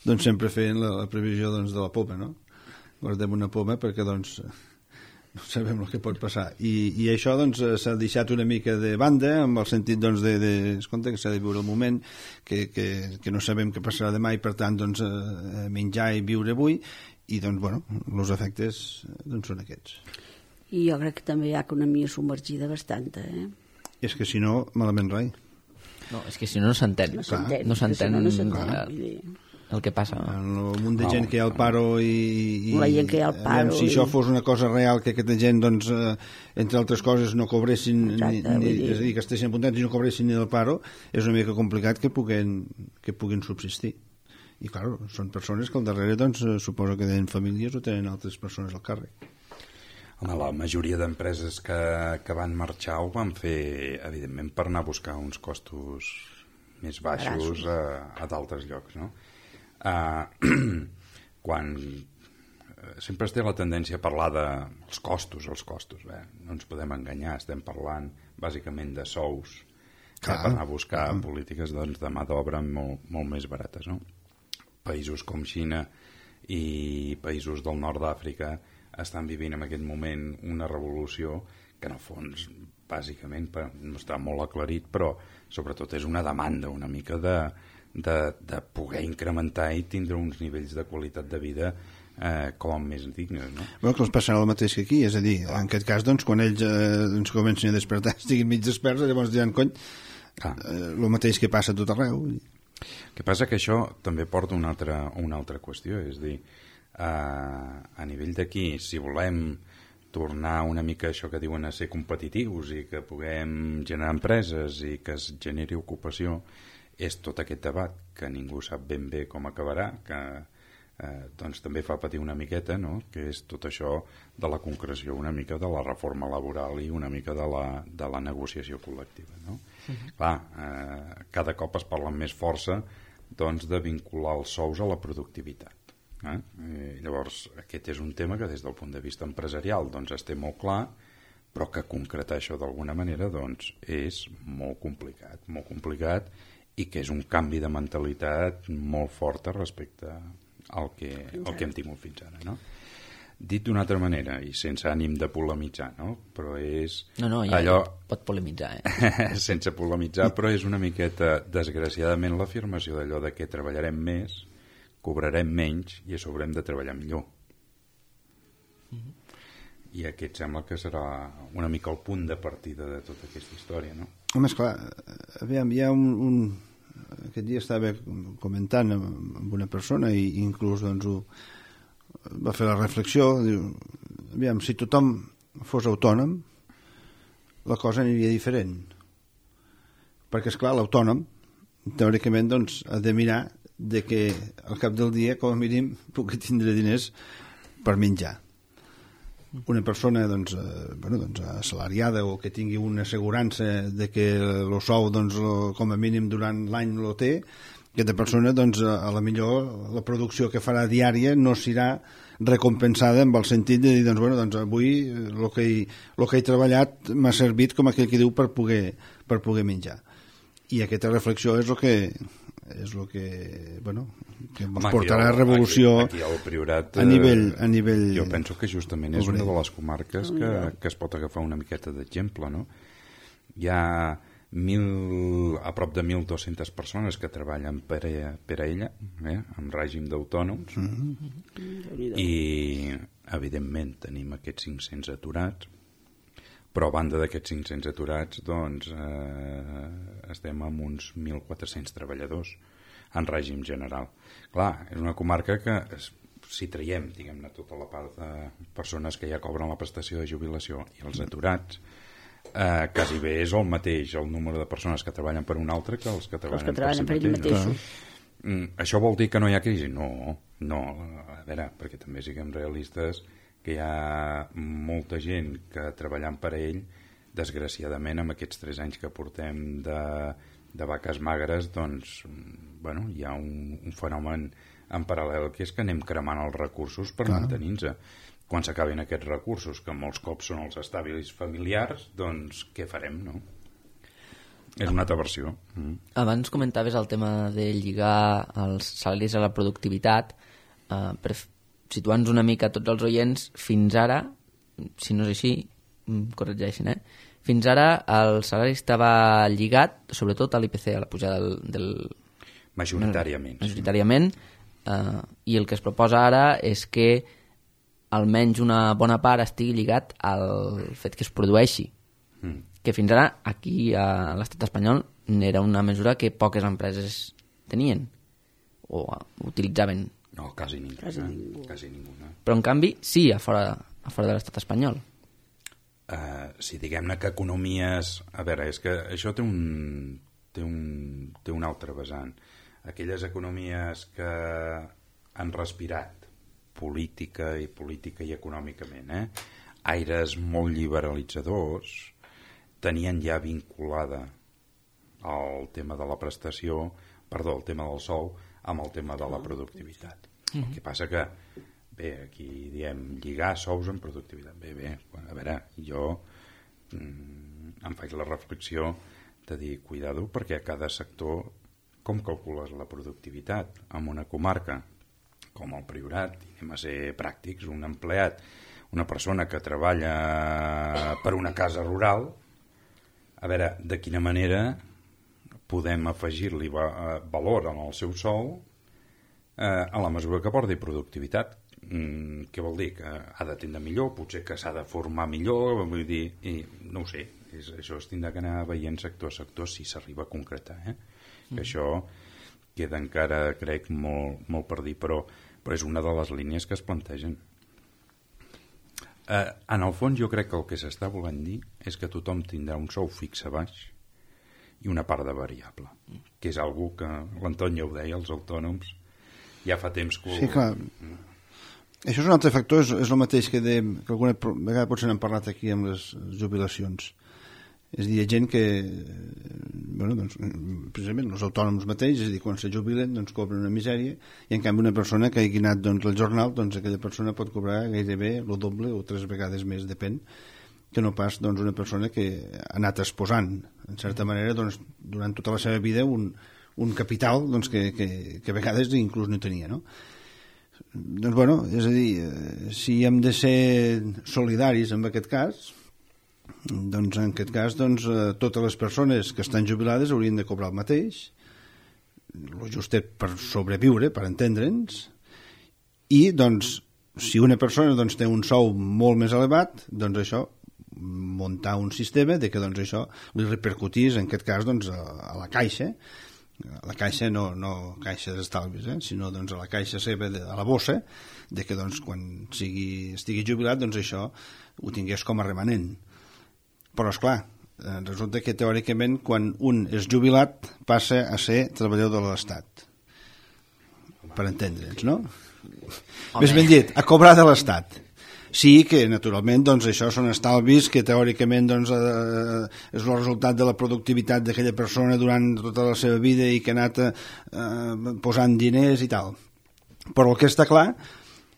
doncs sempre feien la, la previsió doncs, de la poma, no? Guardem una poma perquè doncs no sabem el que pot passar. I, i això doncs s'ha deixat una mica de banda amb el sentit doncs de, de escolta, que s'ha de viure el moment, que, que, que no sabem què passarà demà i per tant doncs menjar i viure avui i doncs, bueno, els efectes doncs, són aquests. I jo crec que també hi ha economia submergida bastanta, eh? És que si no, malament rai. No, és que si no no s'entén. No s'entén. No s'entén no el, el que passa. En el munt de gent que hi ha al paro i... i la gent que hi ha al paro... Si i... això fos una cosa real, que aquesta gent, doncs, eh, entre altres coses, no cobressin... Exacte, ni, ni, és a dir, que estessin apuntats i no cobressin ni del paro, és una mica complicat que puguin, que puguin subsistir. I, clar, són persones que al darrere, doncs, suposo que tenen famílies o tenen altres persones al càrrec. Home, la majoria d'empreses que, que van marxar ho van fer, evidentment, per anar a buscar uns costos més baixos a, a d'altres llocs, no? Uh, quan uh, sempre es té la tendència a parlar dels costos, els costos, bé, no ens podem enganyar, estem parlant bàsicament de sous Clar, per anar a buscar clar. polítiques doncs, de mà d'obra molt, molt més barates, no? Països com Xina i països del nord d'Àfrica estan vivint en aquest moment una revolució que en el fons bàsicament no està molt aclarit, però sobretot és una demanda una mica de, de, de poder incrementar i tindre uns nivells de qualitat de vida eh, com més dignes, no? Bueno, que els passarà el mateix que aquí, és a dir, en aquest cas doncs, quan ells eh, doncs, comencin a despertar, estiguin mig desperts, llavors diran, cony, eh, el mateix que passa a tot arreu. El que passa que això també porta una altra, una altra qüestió, és dir, eh, a nivell d'aquí, si volem tornar una mica això que diuen a ser competitius i que puguem generar empreses i que es generi ocupació, és tot aquest debat que ningú sap ben bé com acabarà, que eh, doncs també fa patir una miqueta, no?, que és tot això de la concreció una mica de la reforma laboral i una mica de la, de la negociació col·lectiva, no? Uh-huh. Clar, eh, cada cop es parla amb més força doncs, de vincular els sous a la productivitat. Eh? I llavors, aquest és un tema que des del punt de vista empresarial doncs, es té molt clar, però que concretar això d'alguna manera doncs, és molt complicat, molt complicat i que és un canvi de mentalitat molt forta respecte al que, al que hem tingut fins ara, no? Dit d'una altra manera i sense ànim de polemitzar, no? Però és no, no, ja, allò... ja pot polemitzar, eh? sense polemitzar, però és una miqueta desgraciadament l'afirmació d'allò de que treballarem més, cobrarem menys i a sobre hem de treballar millor. Mm-hmm. I aquest sembla que serà una mica el punt de partida de tota aquesta història, no? Home, esclar, aviam, hi ha un, un... Aquest dia estava comentant amb una persona i inclús doncs, ho... va fer la reflexió, diu, aviam, si tothom fos autònom, la cosa aniria diferent. Perquè, esclar, l'autònom, teòricament, doncs, ha de mirar de que al cap del dia, com a mínim, pugui tindre diners per menjar. Una persona doncs, eh, bueno, doncs, assalariada o que tingui una assegurança de que el sou doncs, com a mínim durant l'any lo té, aquesta persona doncs, a la millor la producció que farà diària no serà recompensada amb el sentit de dir doncs, bueno, doncs, avui el que, he, el que he treballat m'ha servit com aquell que diu per poder, per poder menjar. I aquesta reflexió és el que és el que, bueno, que ens Home, portarà a revolució aquí, aquí Priorat, a nivell, a nivell jo penso que justament és una de les comarques que, que es pot agafar una miqueta d'exemple, no? Hi ha mil, a prop de mil dues-centes persones que treballen per a, per a ella, eh, en règim d'autònoms, mm-hmm. i evidentment tenim aquests cinc-cents aturats, però a banda d'aquests cinc-cents aturats doncs eh, estem amb uns mil quatre-cents treballadors en règim general. Clar, és una comarca que si traiem, diguem-ne, tota la part de persones que ja cobren la prestació de jubilació i els aturats, eh, quasi bé és el mateix el número de persones que treballen per un altre que els que treballen, els que treballen per, per si mateix. mateixos. Mm, això vol dir que no hi ha crisi? No, no, a veure, perquè també siguem realistes, que hi ha molta gent que treballant per a ell, desgraciadament amb aquests tres anys que portem de, de vaques magres, doncs, bueno, hi ha un, un fenomen en paral·lel que és que anem cremant els recursos per Clar. mantenir-nos. Quan s'acabin aquests recursos, que molts cops són els establis familiars, doncs què farem, no? És una altra versió. Mm. Abans comentaves el tema de lligar els salaris a la productivitat, eh, per situant-nos una mica tots els oients, fins ara, si no és així, corregeixen, eh? Fins ara el salari estava lligat, sobretot a l'I P C, a la pujada del... del majoritàriament. Majoritàriament, eh, i el que es proposa ara és que almenys una bona part estigui lligat al fet que es produeixi. Mm. Que fins ara, aquí a l'estat espanyol, era una mesura que poques empreses tenien o utilitzaven. No, quasi ningú. Quasi ningú. Quasi ningú no? Però, en canvi, sí, a fora, a fora de l'estat espanyol. Uh, sí, diguem-ne que economies... A veure, és que això té un, té un, té un altre vessant. Aquelles economies que han respirat política i política i econòmicament, eh? aires molt liberalitzadors, tenien ja vinculada el tema de la prestació, perdó, el tema del sou, amb el tema de la productivitat. Mm-hmm. El que passa que, bé, aquí diem lligar sous amb productivitat. Bé, bé, a veure, jo mm, em faig la reflexió de dir, cuidado, perquè a cada sector, com calcules la productivitat? En una comarca com el Priorat, anem a ser pràctics, un empleat, una persona que treballa per una casa rural, a veure, de quina manera podem afegir-li valor en el seu sou eh, a la mesura que porti productivitat. Mm, què vol dir? Que ha d'atendre millor, potser que s'ha de formar millor, vull dir, i no ho sé, és, això es tindrà que anar veient sector a sector si s'arriba a concretar, eh? Mm. Que això queda encara, crec, molt, molt per dir, però, però és una de les línies que es plantegen. Eh, en el fons jo crec que el que s'està volent dir és que tothom tindrà un sou fix a baix i una part de variable, que és algo que l'Antoni ja ho deia, els autònoms ja fa temps que... Sí, clar. Això és un altre factor, és, és el mateix que, de, que alguna vegada potser n'hem parlat aquí amb les jubilacions. És a dir, hi ha gent que, bueno, doncs, precisament els autònoms mateix, és a dir, quan se jubilen, doncs cobren una misèria, i en canvi una persona que hagi anat doncs, al jornal, doncs aquella persona pot cobrar gairebé el doble o tres vegades més, depèn, que no pas doncs, una persona que ha anat exposant, en certa manera, doncs, durant tota la seva vida, un, un capital doncs, que, que, que a vegades inclús no tenia, no? Doncs, bueno, és a dir, si hem de ser solidaris en aquest cas, doncs en aquest cas doncs, totes les persones que estan jubilades haurien de cobrar el mateix, el justet per sobreviure, per entendre'ns, i doncs, si una persona doncs, té un sou molt més elevat, doncs això, muntar un sistema de que doncs, això li repercutís, en aquest cas, doncs, a, a la caixa, a la caixa no, no caixa d'estalvis, eh? Sinó doncs, a la caixa seva, de, a la bossa, de que doncs, quan sigui, estigui jubilat, doncs això ho tingués com a remanent. Però, esclar, resulta que teòricament quan un és jubilat passa a ser treballador de l'Estat. Per entendre'ns, no? Home. Més ben dit, a cobrar de l'Estat. Sí que, naturalment, doncs, això són estalvis que teòricament doncs, eh, és el resultat de la productivitat d'aquella persona durant tota la seva vida i que ha anat eh, posant diners i tal. Però el que està clar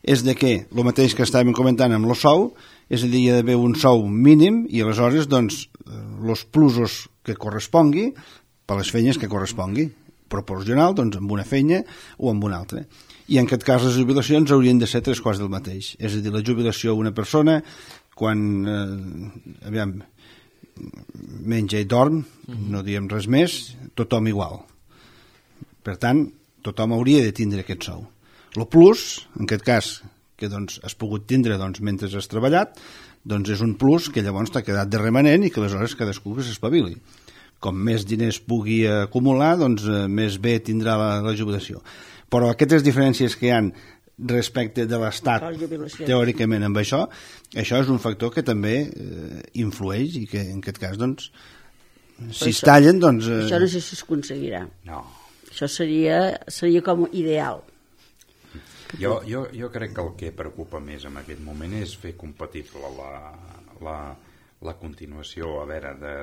és de que el mateix que estàvem comentant amb el sou, és a dir, hi ha d'haver un sou mínim i aleshores doncs, els plusos que correspongui per les feines que correspongui, proporcional doncs, amb una feina o amb una altra. I en aquest cas les jubilacions haurien de ser tres quarts del mateix. És a dir, la jubilació d'una persona quan eh, aviam, menja i dorm, mm-hmm. no diem res més, tothom igual. Per tant, tothom hauria de tindre aquest sou. El plus, en aquest cas, que doncs, has pogut tindre doncs, mentre has treballat, doncs és un plus que llavors t'ha quedat de remanent i que aleshores cadascú que s'espavili. Com més diners pugui acumular, doncs més bé tindrà la, la jubilació. Però aquestes diferències que hi ha respecte de l'Estat, teòricament, amb això, això és un factor que també eh, influeix i que, en aquest cas, doncs, si es tallen, doncs... Eh... Això no sé si es aconseguirà. No. Això seria, seria com ideal. Jo, jo, jo crec que el que preocupa més en aquest moment és fer compatible la, la, la continuació, a veure, de,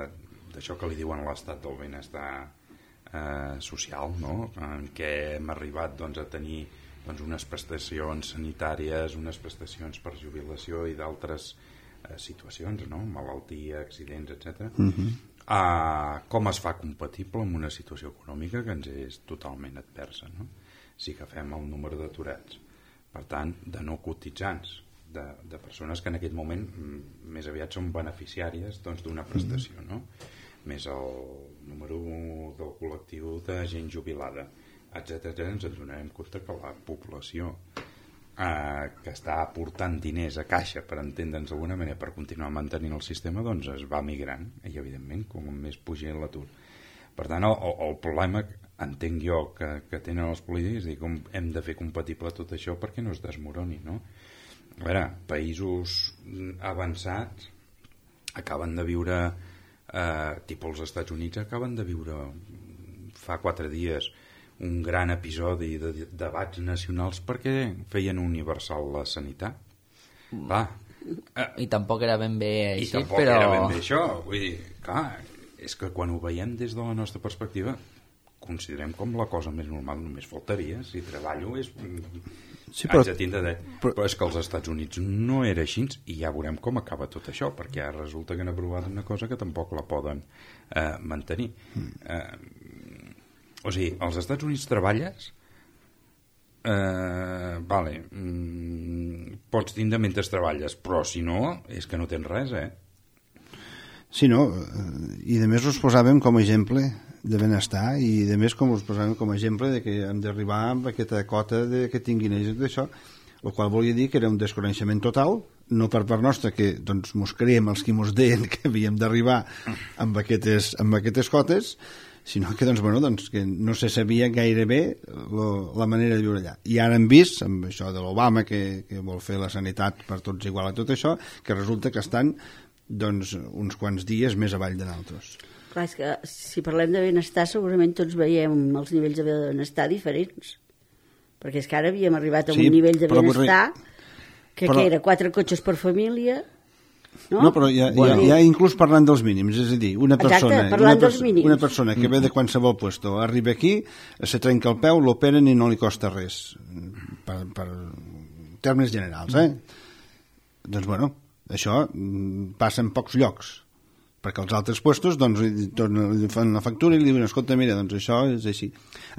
d'això que li diuen l'estat del benestar eh, social, no? En què hem arribat doncs, a tenir doncs, unes prestacions sanitàries, unes prestacions per jubilació i d'altres eh, situacions, no? Malaltia, accidents, etcètera. Mm-hmm. Uh, com es fa compatible amb una situació econòmica que ens és totalment adversa, no? Si agafem el número d'aturats, per tant, de no cotitzants, de, de persones que en aquest moment m, més aviat són beneficiàries doncs, d'una prestació, no? Més el número del col·lectiu de gent jubilada, etcètera, ens adonarem compte que la població eh, que està aportant diners a caixa, per entendre'ns d'alguna manera, per continuar mantenint el sistema, doncs es va migrant, i evidentment, com més puja l'atur. Per tant, el, el problema, entenc jo, que, que tenen els polítics, és dir, com hem de fer compatible tot això perquè no es desmoroni, no? A veure, països avançats acaben de viure, eh, tipus els Estats Units, acaben de viure fa quatre dies un gran episodi de debats nacionals perquè feien universal la sanitat. Va. Eh, I tampoc era ben bé així, I tampoc però... era ben bé això. Vull dir, clar, és que quan ho veiem des de la nostra perspectiva considerem com la cosa més normal, només faltaria. Si treballo és... Sí, però... Haig de tindre dret. Però... però és que als Estats Units no era així i ja veurem com acaba tot això, perquè ara resulta que han aprovat una cosa que tampoc la poden eh, mantenir. Mm. Eh, o sigui, als Estats Units treballes eh, vale mm, pots tindre mentre treballes, però si no, és que no tens res, eh? Sí, no, i de més us posàvem com a exemple de benestar i de més com us posàvem com a exemple de que hem d'arribar amb aquesta cota de que tinguin ells d'això, el qual volia dir que era un desconeixement total, no per part nostra, que doncs mos creiem els qui mos deien que havíem d'arribar amb aquestes, amb aquestes cotes, sinó que, doncs, bueno, doncs, que no se sabia gaire bé lo, la manera de viure allà. I ara hem vist, amb això de l'Obama, que, que vol fer la sanitat per tots igual a tot això, que resulta que estan doncs, uns quants dies més avall de nosaltres. Clar, és que si parlem de benestar segurament tots veiem els nivells de benestar diferents, perquè és que ara havíem arribat a Sí, un nivell de però vull benestar que, però- que era quatre cotxes per família, no? No, però ja, ja, ja inclús parlant dels mínims, és a dir, una Exacte, persona, parlant una, dels mínims. una persona que ve de qualsevol puesto, arriba aquí, se trenca el peu, l'operen i no li costa res, per, per termes generals, eh? Doncs, bueno, això mm, passa en pocs llocs, perquè els altres puestos doncs, li, tornen, li fan la factura i li diuen, escolta, mira, doncs això és així.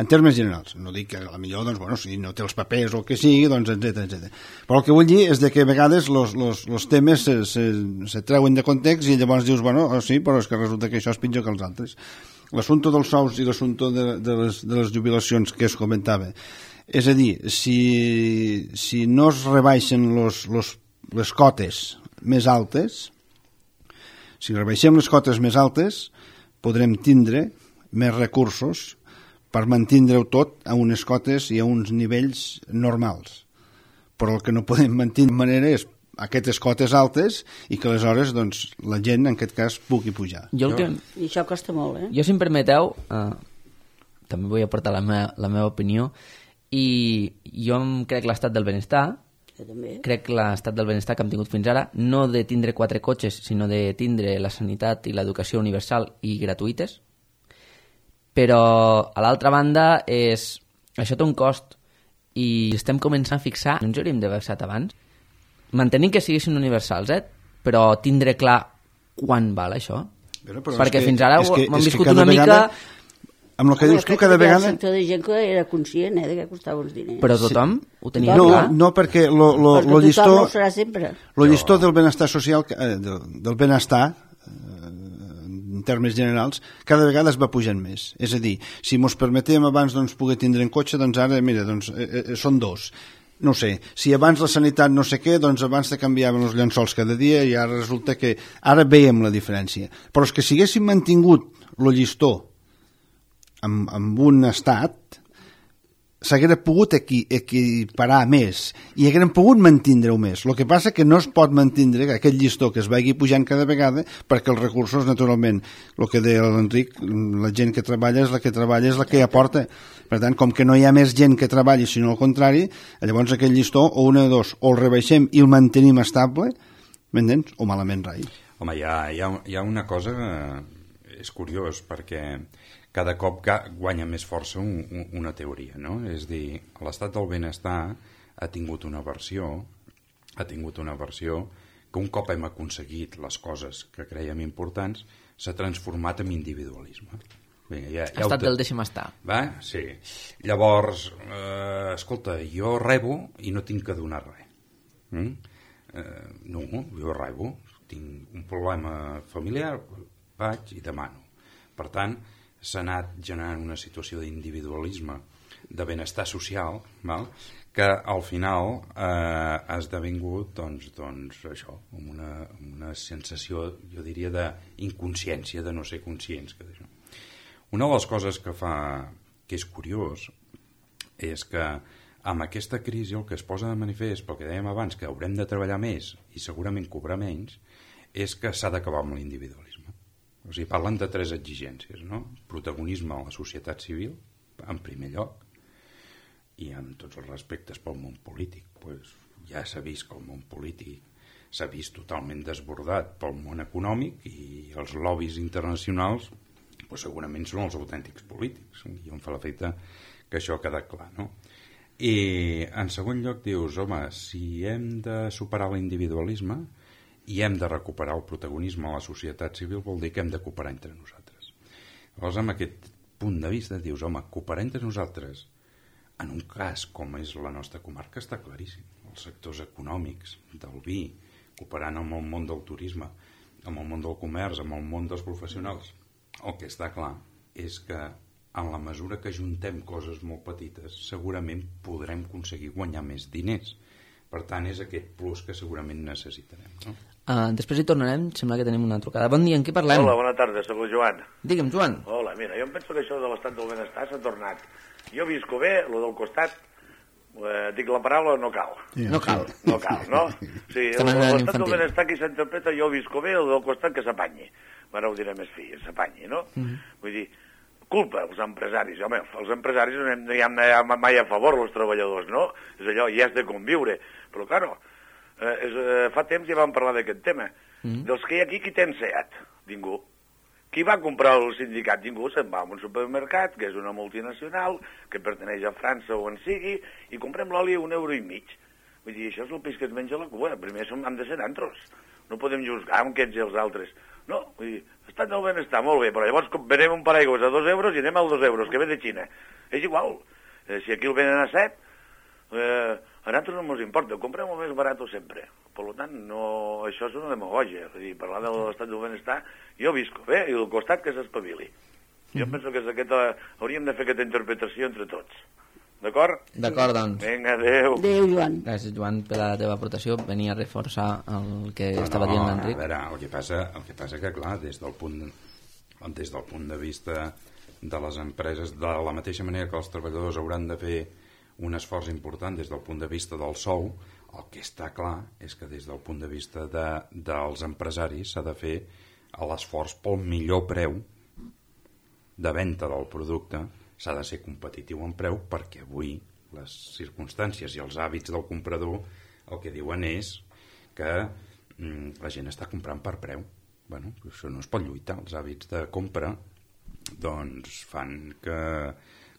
En termes generals, no dic que a millor, doncs, bueno, si no té els papers o el que sigui, doncs, etcètera, etcètera. Però el que vull dir és de que a vegades els temes se, se, se treuen de context i llavors dius, bueno, oh, sí, però és que resulta que això és pitjor que els altres. L'assumpte dels sous i l'assumpte de, de, les, de les jubilacions que es comentava, és a dir, si, si no es rebaixen los, los, les cotes més altes, si rebaixem les cotes més altes, podrem tindre més recursos per mantindre-ho tot a unes cotes i a uns nivells normals. Però el que no podem mantenir de manera és aquestes cotes altes i que aleshores doncs, la gent, en aquest cas, pugui pujar. Jo el que... I això costa molt, eh? Jo, si em permeteu, eh, també vull aportar la meva, la meva opinió, i jo em crec l'estat del benestar, També. crec l'estat del benestar que hem tingut fins ara, no de tindre quatre cotxes, sinó de tindre la sanitat i l'educació universal i gratuïtes, però a l'altra banda és, això té un cost i estem començant a fixar, no ens hauríem d'haver fixat abans, mantenint que siguessin universals, eh? Però tindre clar quan val això, Però, però perquè que, fins ara que, hem és viscut que una vegada, mica... amb el que Home, dius tu, crec cada que vegada... El sector de gent que era conscient, eh, de que costava uns diners. Però tothom ho tenia No, clar. no, perquè lo, lo, Perquè lo llistó, tothom no ho serà sempre. lo llistó del benestar social, eh, del, del benestar, eh, en termes generals, cada vegada es va pujant més. És a dir, si mos permetem abans doncs, poder tindre en cotxe, doncs ara, mira, doncs, eh, eh, són dos. No sé, si abans la sanitat no sé què, doncs abans te canviaven els llençols cada dia i ara resulta que... Ara veiem la diferència. Però és que si haguéssim mantingut lo llistó amb, amb un estat, s'haguera pogut equi, equiparar més i hagueren pogut mantindre-ho més. El que passa que no es pot mantindre aquest llistó que es vagi pujant cada vegada perquè els recursos, naturalment, el que deia l'Enric, la gent que treballa és la que treballa, és la que aporta. Per tant, com que no hi ha més gent que treballi, sinó al contrari, llavors aquest llistó, o una de dos, o el rebaixem i el mantenim estable, m'entens? O malament rai. Home, hi ha, hi ha, hi ha una cosa que és curiós, perquè cada cop guanya més força un, un, una teoria, no? És a dir, l'estat del benestar ha tingut una versió, ha tingut una versió que un cop hem aconseguit les coses que creiem importants, s'ha transformat en individualisme. Vinga, ja, ja Estat te... del deixa'm estar. Va? Sí. Llavors, eh, escolta, jo rebo i no tinc que donar res. Mm? Eh, no, jo rebo, tinc un problema familiar, vaig i demano. Per tant, s'ha anat generant una situació d'individualisme, de benestar social, val? Que al final eh, ha esdevingut doncs, doncs això, amb una, amb una sensació, jo diria, d'inconsciència, de no ser conscients. Que d'això. Una de les coses que fa que és curiós és que amb aquesta crisi el que es posa de manifest, pel que dèiem abans, que haurem de treballar més i segurament cobrar menys, és que s'ha d'acabar amb l'individualisme. O sigui, parlen de tres exigències, no? Protagonisme a la societat civil, en primer lloc, i amb tots els respectes pel món polític. Pues ja s'ha vist que el món polític s'ha vist totalment desbordat pel món econòmic i els lobbies internacionals pues segurament són els autèntics polítics, i em fa l'efecte que això ha quedat clar, no? I en segon lloc dius, home, si hem de superar l'individualisme i hem de recuperar el protagonisme a la societat civil, vol dir que hem de cooperar entre nosaltres. Llavors, amb aquest punt de vista, dius, home, cooperar entre nosaltres, en un cas com és la nostra comarca, està claríssim. Els sectors econòmics, del vi, cooperant amb el món del turisme, amb el món del comerç, amb el món dels professionals. El que està clar és que en la mesura que juntem coses molt petites, segurament podrem aconseguir guanyar més diners. Per tant, és aquest plus que segurament necessitarem. No? Uh, després hi tornarem, sembla que tenim una trucada. Bon dia, en què parlem? Hola, bona tarda, soc el Joan. Digue'm, Joan. Hola, mira, jo em penso que això de l'estat del benestar s'ha tornat. Jo visco bé, lo del costat, eh, dic la paraula, no cal. Yeah. No cal. No cal, no? Sí, Estem en l'estat infantil. del benestar que s'interpreta, jo visco bé, el del costat que s'apanyi. Ara ho diré més fi, s'apanyi, no? Mm -hmm. Vull dir, culpa, els empresaris. Home, els empresaris no hi ha mai a favor els treballadors, no? És allò, i has de conviure. Però, claro, eh, és, eh, fa temps ja vam parlar d'aquest tema. Mm. Dels que hi ha aquí, qui té Seat? Ningú. Qui va comprar el sindicat? Ningú. Se'n va a un supermercat, que és una multinacional, que perteneix a França o on sigui, i comprem l'oli a un euro i mig. Vull dir, això és el peix que es menja la cua. Primer som, han de ser nantros. No podem juzgar amb aquests i els altres. No, vull dir, estat del benestar, molt bé, però llavors venem un paraigües a dos euros i anem als dos euros, que ve de Xina. És igual. Eh, si aquí el venen a set, eh, a nosaltres no ens importa, comprem el més barat sempre. Per tant, no, això és una demagogia. És a dir, parlar de l'estat del benestar, jo visco bé, i al costat que s'espavili. Jo mm-hmm. penso que és aquesta, hauríem de fer aquesta interpretació entre tots. D'acord? D'acord, doncs. Vinga, adéu. Adéu, Joan. Gràcies, Joan, per la teva aportació. Venia a reforçar el que no, estava dient l'Enric. A veure, el que passa, el que passa que, clar, des del punt, des del punt de vista de les empreses, de la mateixa manera que els treballadors hauran de fer un esforç important des del punt de vista del sou, el que està clar és que des del punt de vista de, dels empresaris s'ha de fer l'esforç pel millor preu de venda del producte. S'ha de ser competitiu en preu perquè avui les circumstàncies i els hàbits del comprador el que diuen és que mm, la gent està comprant per preu. Bueno, això no es pot lluitar. Els hàbits de compra doncs fan que... A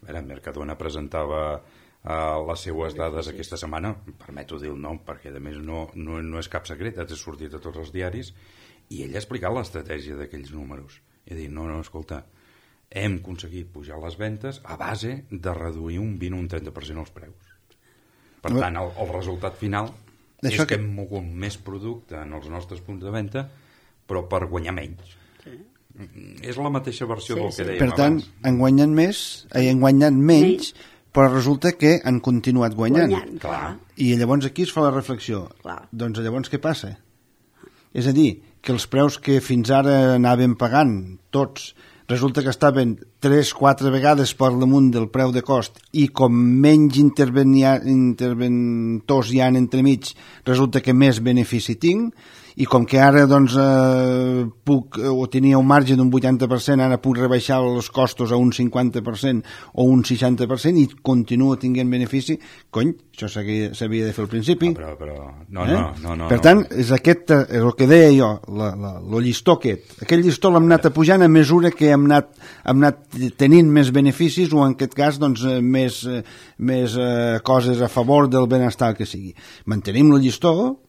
veure, Mercadona presentava uh, les seues dades aquesta setmana, em permeto dir el nom perquè a més no, no, no és cap secret, ha sortit a tots els diaris, i ell ha explicat l'estratègia d'aquells números. I ha dit, no, no, escolta, hem aconseguit pujar les ventes a base de reduir un vint o un trenta per cent els preus. Per tant, el, el resultat final és que hem mogut més producte en els nostres punts de venda, però per guanyar menys. Sí. És la mateixa versió sí, del que dèiem per tant, abans. Han guanyat més, han guanyat menys, sí. Però resulta que han continuat guanyant. Guanyant, clar. I llavors aquí es fa la reflexió. Clar. Doncs llavors què passa? És a dir, que els preus que fins ara anaven pagant tots resulta que estaven tres o quatre vegades per damunt del preu de cost i com menys interventors hi ha entremig, resulta que més benefici tinc, i com que ara doncs, eh, puc, o tenia un marge d'un vuitanta per cent, ara puc rebaixar els costos a un cinquanta per cent o un seixanta per cent i continuo tinguent benefici, cony, això s'havia de fer al principi. No, però, però... No, eh? no, no, no. Per tant, és, aquest, és el que deia jo, la, la, el llistó aquest. Aquell llistó l'hem anat apujant a mesura que hem anat, hem anat tenint més beneficis o en aquest cas doncs, més, més eh, coses a favor del benestar que sigui. Mantenim el llistó,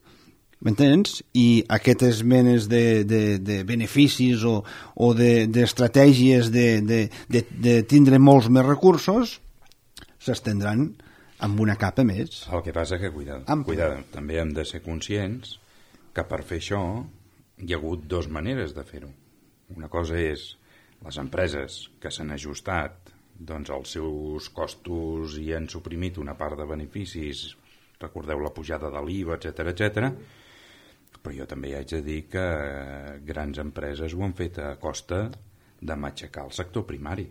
m'entens? I aquestes menes de, de, de beneficis o, o d'estratègies de, de, de, de tindre molts més recursos s'estendran amb una capa més. El que passa que, cuidado, cuidado, també hem de ser conscients que per fer això hi ha hagut dues maneres de fer-ho. Una cosa és les empreses que s'han ajustat doncs, als seus costos i han suprimit una part de beneficis, recordeu la pujada de l'I V A, etcètera, etcètera. Però jo també haig de dir que grans empreses ho han fet a costa de matxacar el sector primari.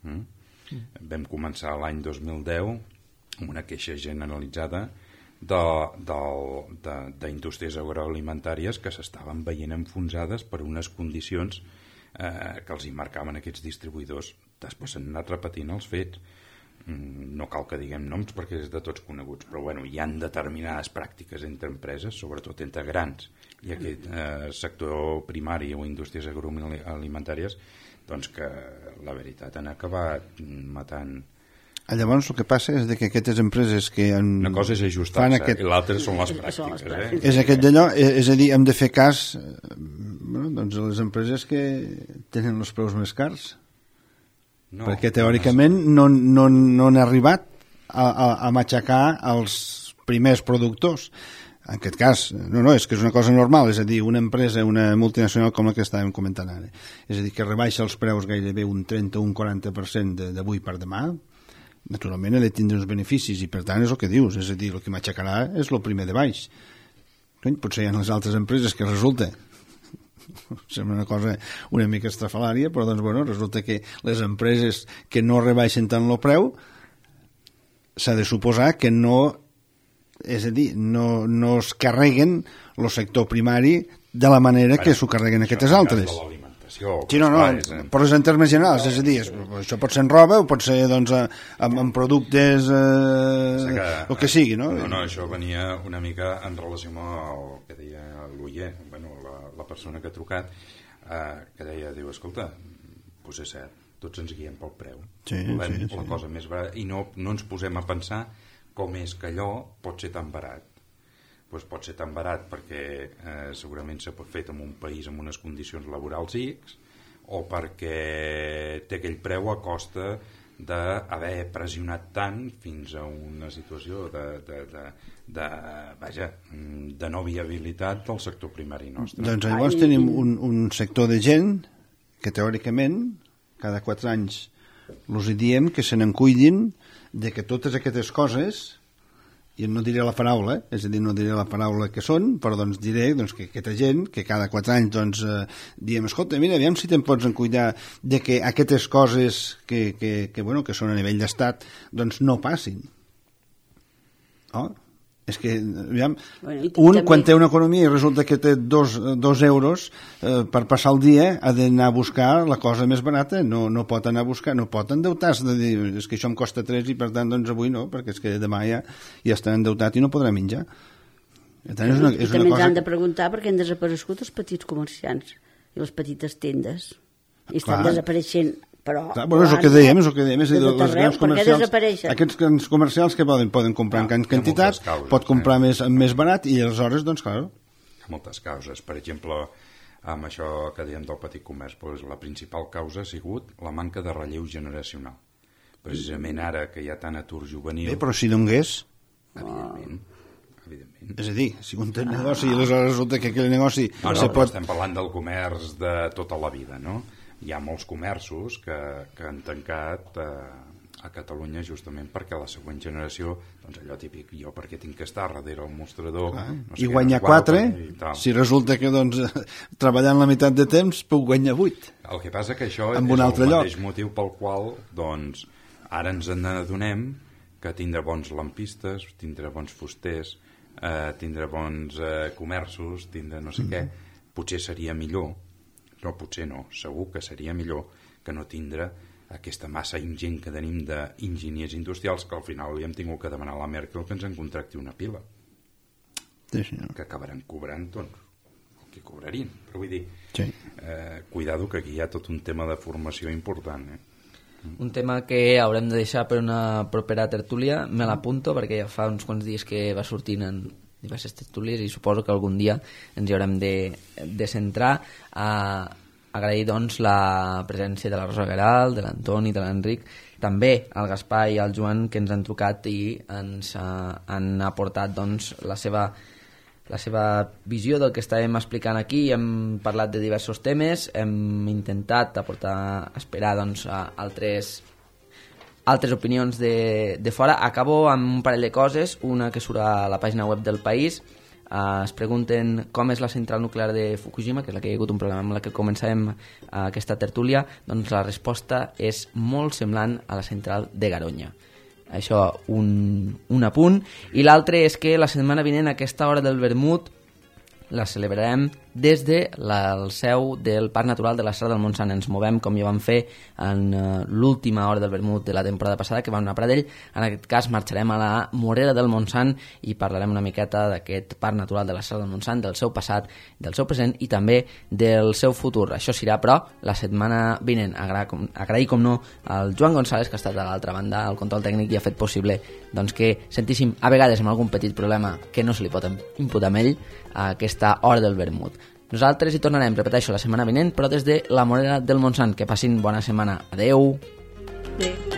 Mm? Sí. Vam començar l'any dos mil deu amb una queixa generalitzada d'indústries agroalimentàries que s'estaven veient enfonsades per unes condicions eh, que els hi marcaven aquests distribuïdors. Després s'han anat repetint els fets. No cal que diguem noms perquè és de tots coneguts, però bueno, hi ha determinades pràctiques entre empreses, sobretot entre grans i aquest eh, sector primari o indústries agroalimentàries, doncs que la veritat han acabat matant. Llavors el que passa és que aquestes empreses que han... Una cosa és ajustar-se aquest... i l'altra són les pràctiques. Eh? És aquest d'allò, és a dir, hem de fer cas bueno, doncs a les empreses que tenen els preus més cars. No, perquè teòricament no, no, no han arribat a, a, a matxacar els primers productors. En aquest cas, no, no, és que és una cosa normal, és a dir, una empresa, una multinacional com la que estàvem comentant ara, és a dir, que rebaixa els preus gairebé un trenta o un quaranta per cent d'avui per demà, naturalment ha de tindre uns beneficis i per tant és el que dius, és a dir, el que matxacarà és el primer de baix. Potser hi ha les altres empreses que resulta sembla una cosa una mica estrafalària, però doncs, bueno, resulta que les empreses que no rebaixen tant el preu s'ha de suposar que no, és a dir, no, no es carreguen el sector primari de la manera bueno, que s'ho carreguen aquestes altres. expressió. Sí, no, no, en... però és en termes generals, és a dir, és, això pot ser en roba o pot ser doncs, en, en productes, eh, que, el que sigui, no? No, no, això venia una mica en relació amb el que deia l'Uller, bueno, la, la persona que ha trucat, eh, que deia, diu, escolta, doncs és cert, tots ens guiem pel preu. Sí, la, sí, la sí. cosa més barata, i no, no ens posem a pensar com és que allò pot ser tan barat. Pues pot ser tan barat perquè eh, segurament s'ha fet en un país amb unes condicions laborals X, o perquè té aquell preu a costa d'haver pressionat tant fins a una situació de, de, de, de, vaja, de no viabilitat del sector primari nostre. Doncs llavors tenim un, un sector de gent que teòricament cada quatre anys els diem que se n'encuidin de que totes aquestes coses, i no diré la paraula, és a dir, no diré la paraula que són, però doncs diré doncs, que aquesta gent, que cada quatre anys doncs, eh, diem, escolta, mira, aviam si te'n pots encuidar de que aquestes coses que, que, que, bueno, que són a nivell d'estat doncs no passin. Oh? És que, aviam, bueno, un també... quan té una economia i resulta que té dos, dos euros eh, per passar el dia ha d'anar a buscar la cosa més barata, no, no pot anar a buscar, no pot endeutar-se de dir, és que això em costa tres i per tant doncs avui no, perquè és que demà ja, ja estarà endeutat i no podrà menjar. Per tant, és una, és I també una ens cosa... han de preguntar perquè han desaparegut els petits comerciants i les petites tendes i estan Clar. desapareixent. Però, Clar, bueno, és el que dèiem, és el que dèiem, és a dir, de tot les grans arreu, per què comercials, desapareixen? aquests grans comercials que poden, poden comprar en grans quantitats, causes, pot comprar eh? més, més barat i aleshores, doncs, clar... Hi ha moltes causes. Per exemple, amb això que dèiem del petit comerç, doncs, la principal causa ha sigut la manca de relleu generacional. Precisament ara que hi ha tant atur juvenil... Bé, però si donés... Evidentment. Evidentment. És a dir, si un té negoci i aleshores resulta que aquell negoci... No, no, se però pot... estem parlant del comerç de tota la vida, no? Hi ha molts comerços que, que han tancat eh, a Catalunya justament perquè la següent generació, doncs allò típic, jo perquè tinc que estar darrere el mostrador... Ah, no sé I què, guanyar no quatre, i si resulta que doncs, treballant la meitat de temps puc guanyar vuit. El que passa que això en és un el altre mateix lloc. motiu pel qual doncs, ara ens n'adonem que tindre bons lampistes, tindre bons fusters, eh, tindre bons eh, comerços, tindre no sé mm. què, potser seria millor. No, potser no, segur que seria millor que no tindre aquesta massa ingent que tenim d'enginyers industrials que al final li hem tingut que demanar a la Merkel que ens en contracti una pila. Sí, senyor. Que acabaran cobrant, doncs, el que cobrarien. Però vull dir, sí. eh, cuidado que aquí hi ha tot un tema de formació important, eh? Un tema que haurem de deixar per una propera tertúlia, me l'apunto perquè ja fa uns quants dies que va sortint en diverses tertúlies i suposo que algun dia ens hi haurem de, de centrar. A agrair doncs la presència de la Rosa Gueralt, de l'Antoni, de l'Enric, també al Gaspar i al Joan que ens han trucat i ens uh, han aportat doncs la seva la seva visió del que estàvem explicant aquí. Hem parlat de diversos temes, hem intentat aportar, esperar doncs, a altres, altres opinions de, de fora. Acabo amb un parell de coses, una que surt a la pàgina web del País. Uh, es pregunten com és la central nuclear de Fukushima, que és la que hi ha hagut un problema amb la que començàvem uh, aquesta tertúlia. Doncs la resposta és molt semblant a la central de Garoña. Això, un, un apunt. I l'altre és que la setmana vinent, a aquesta hora del vermut, la celebrarem des de la, el seu del Parc Natural de la Serra del Montsant. Ens movem com ja vam fer en uh, l'última hora del vermut de la temporada passada, que vam anar a Pradell. En aquest cas marxarem a la Morera del Montsant i parlarem una miqueta d'aquest Parc Natural de la Serra del Montsant, del seu passat, del seu present i també del seu futur. Això serà, però, la setmana vinent. Agrair com, agrair, com no, al Joan González, que ha estat a l'altra banda, al control tècnic, i ha fet possible doncs, que sentíssim, a vegades, amb algun petit problema que no se li pot imputar amb ell, a aquesta hora del vermut. Nosaltres hi tornarem, repeteixo, la setmana vinent, però des de la Morera del Montsant. Que passin bona setmana. Adeu! Adeu.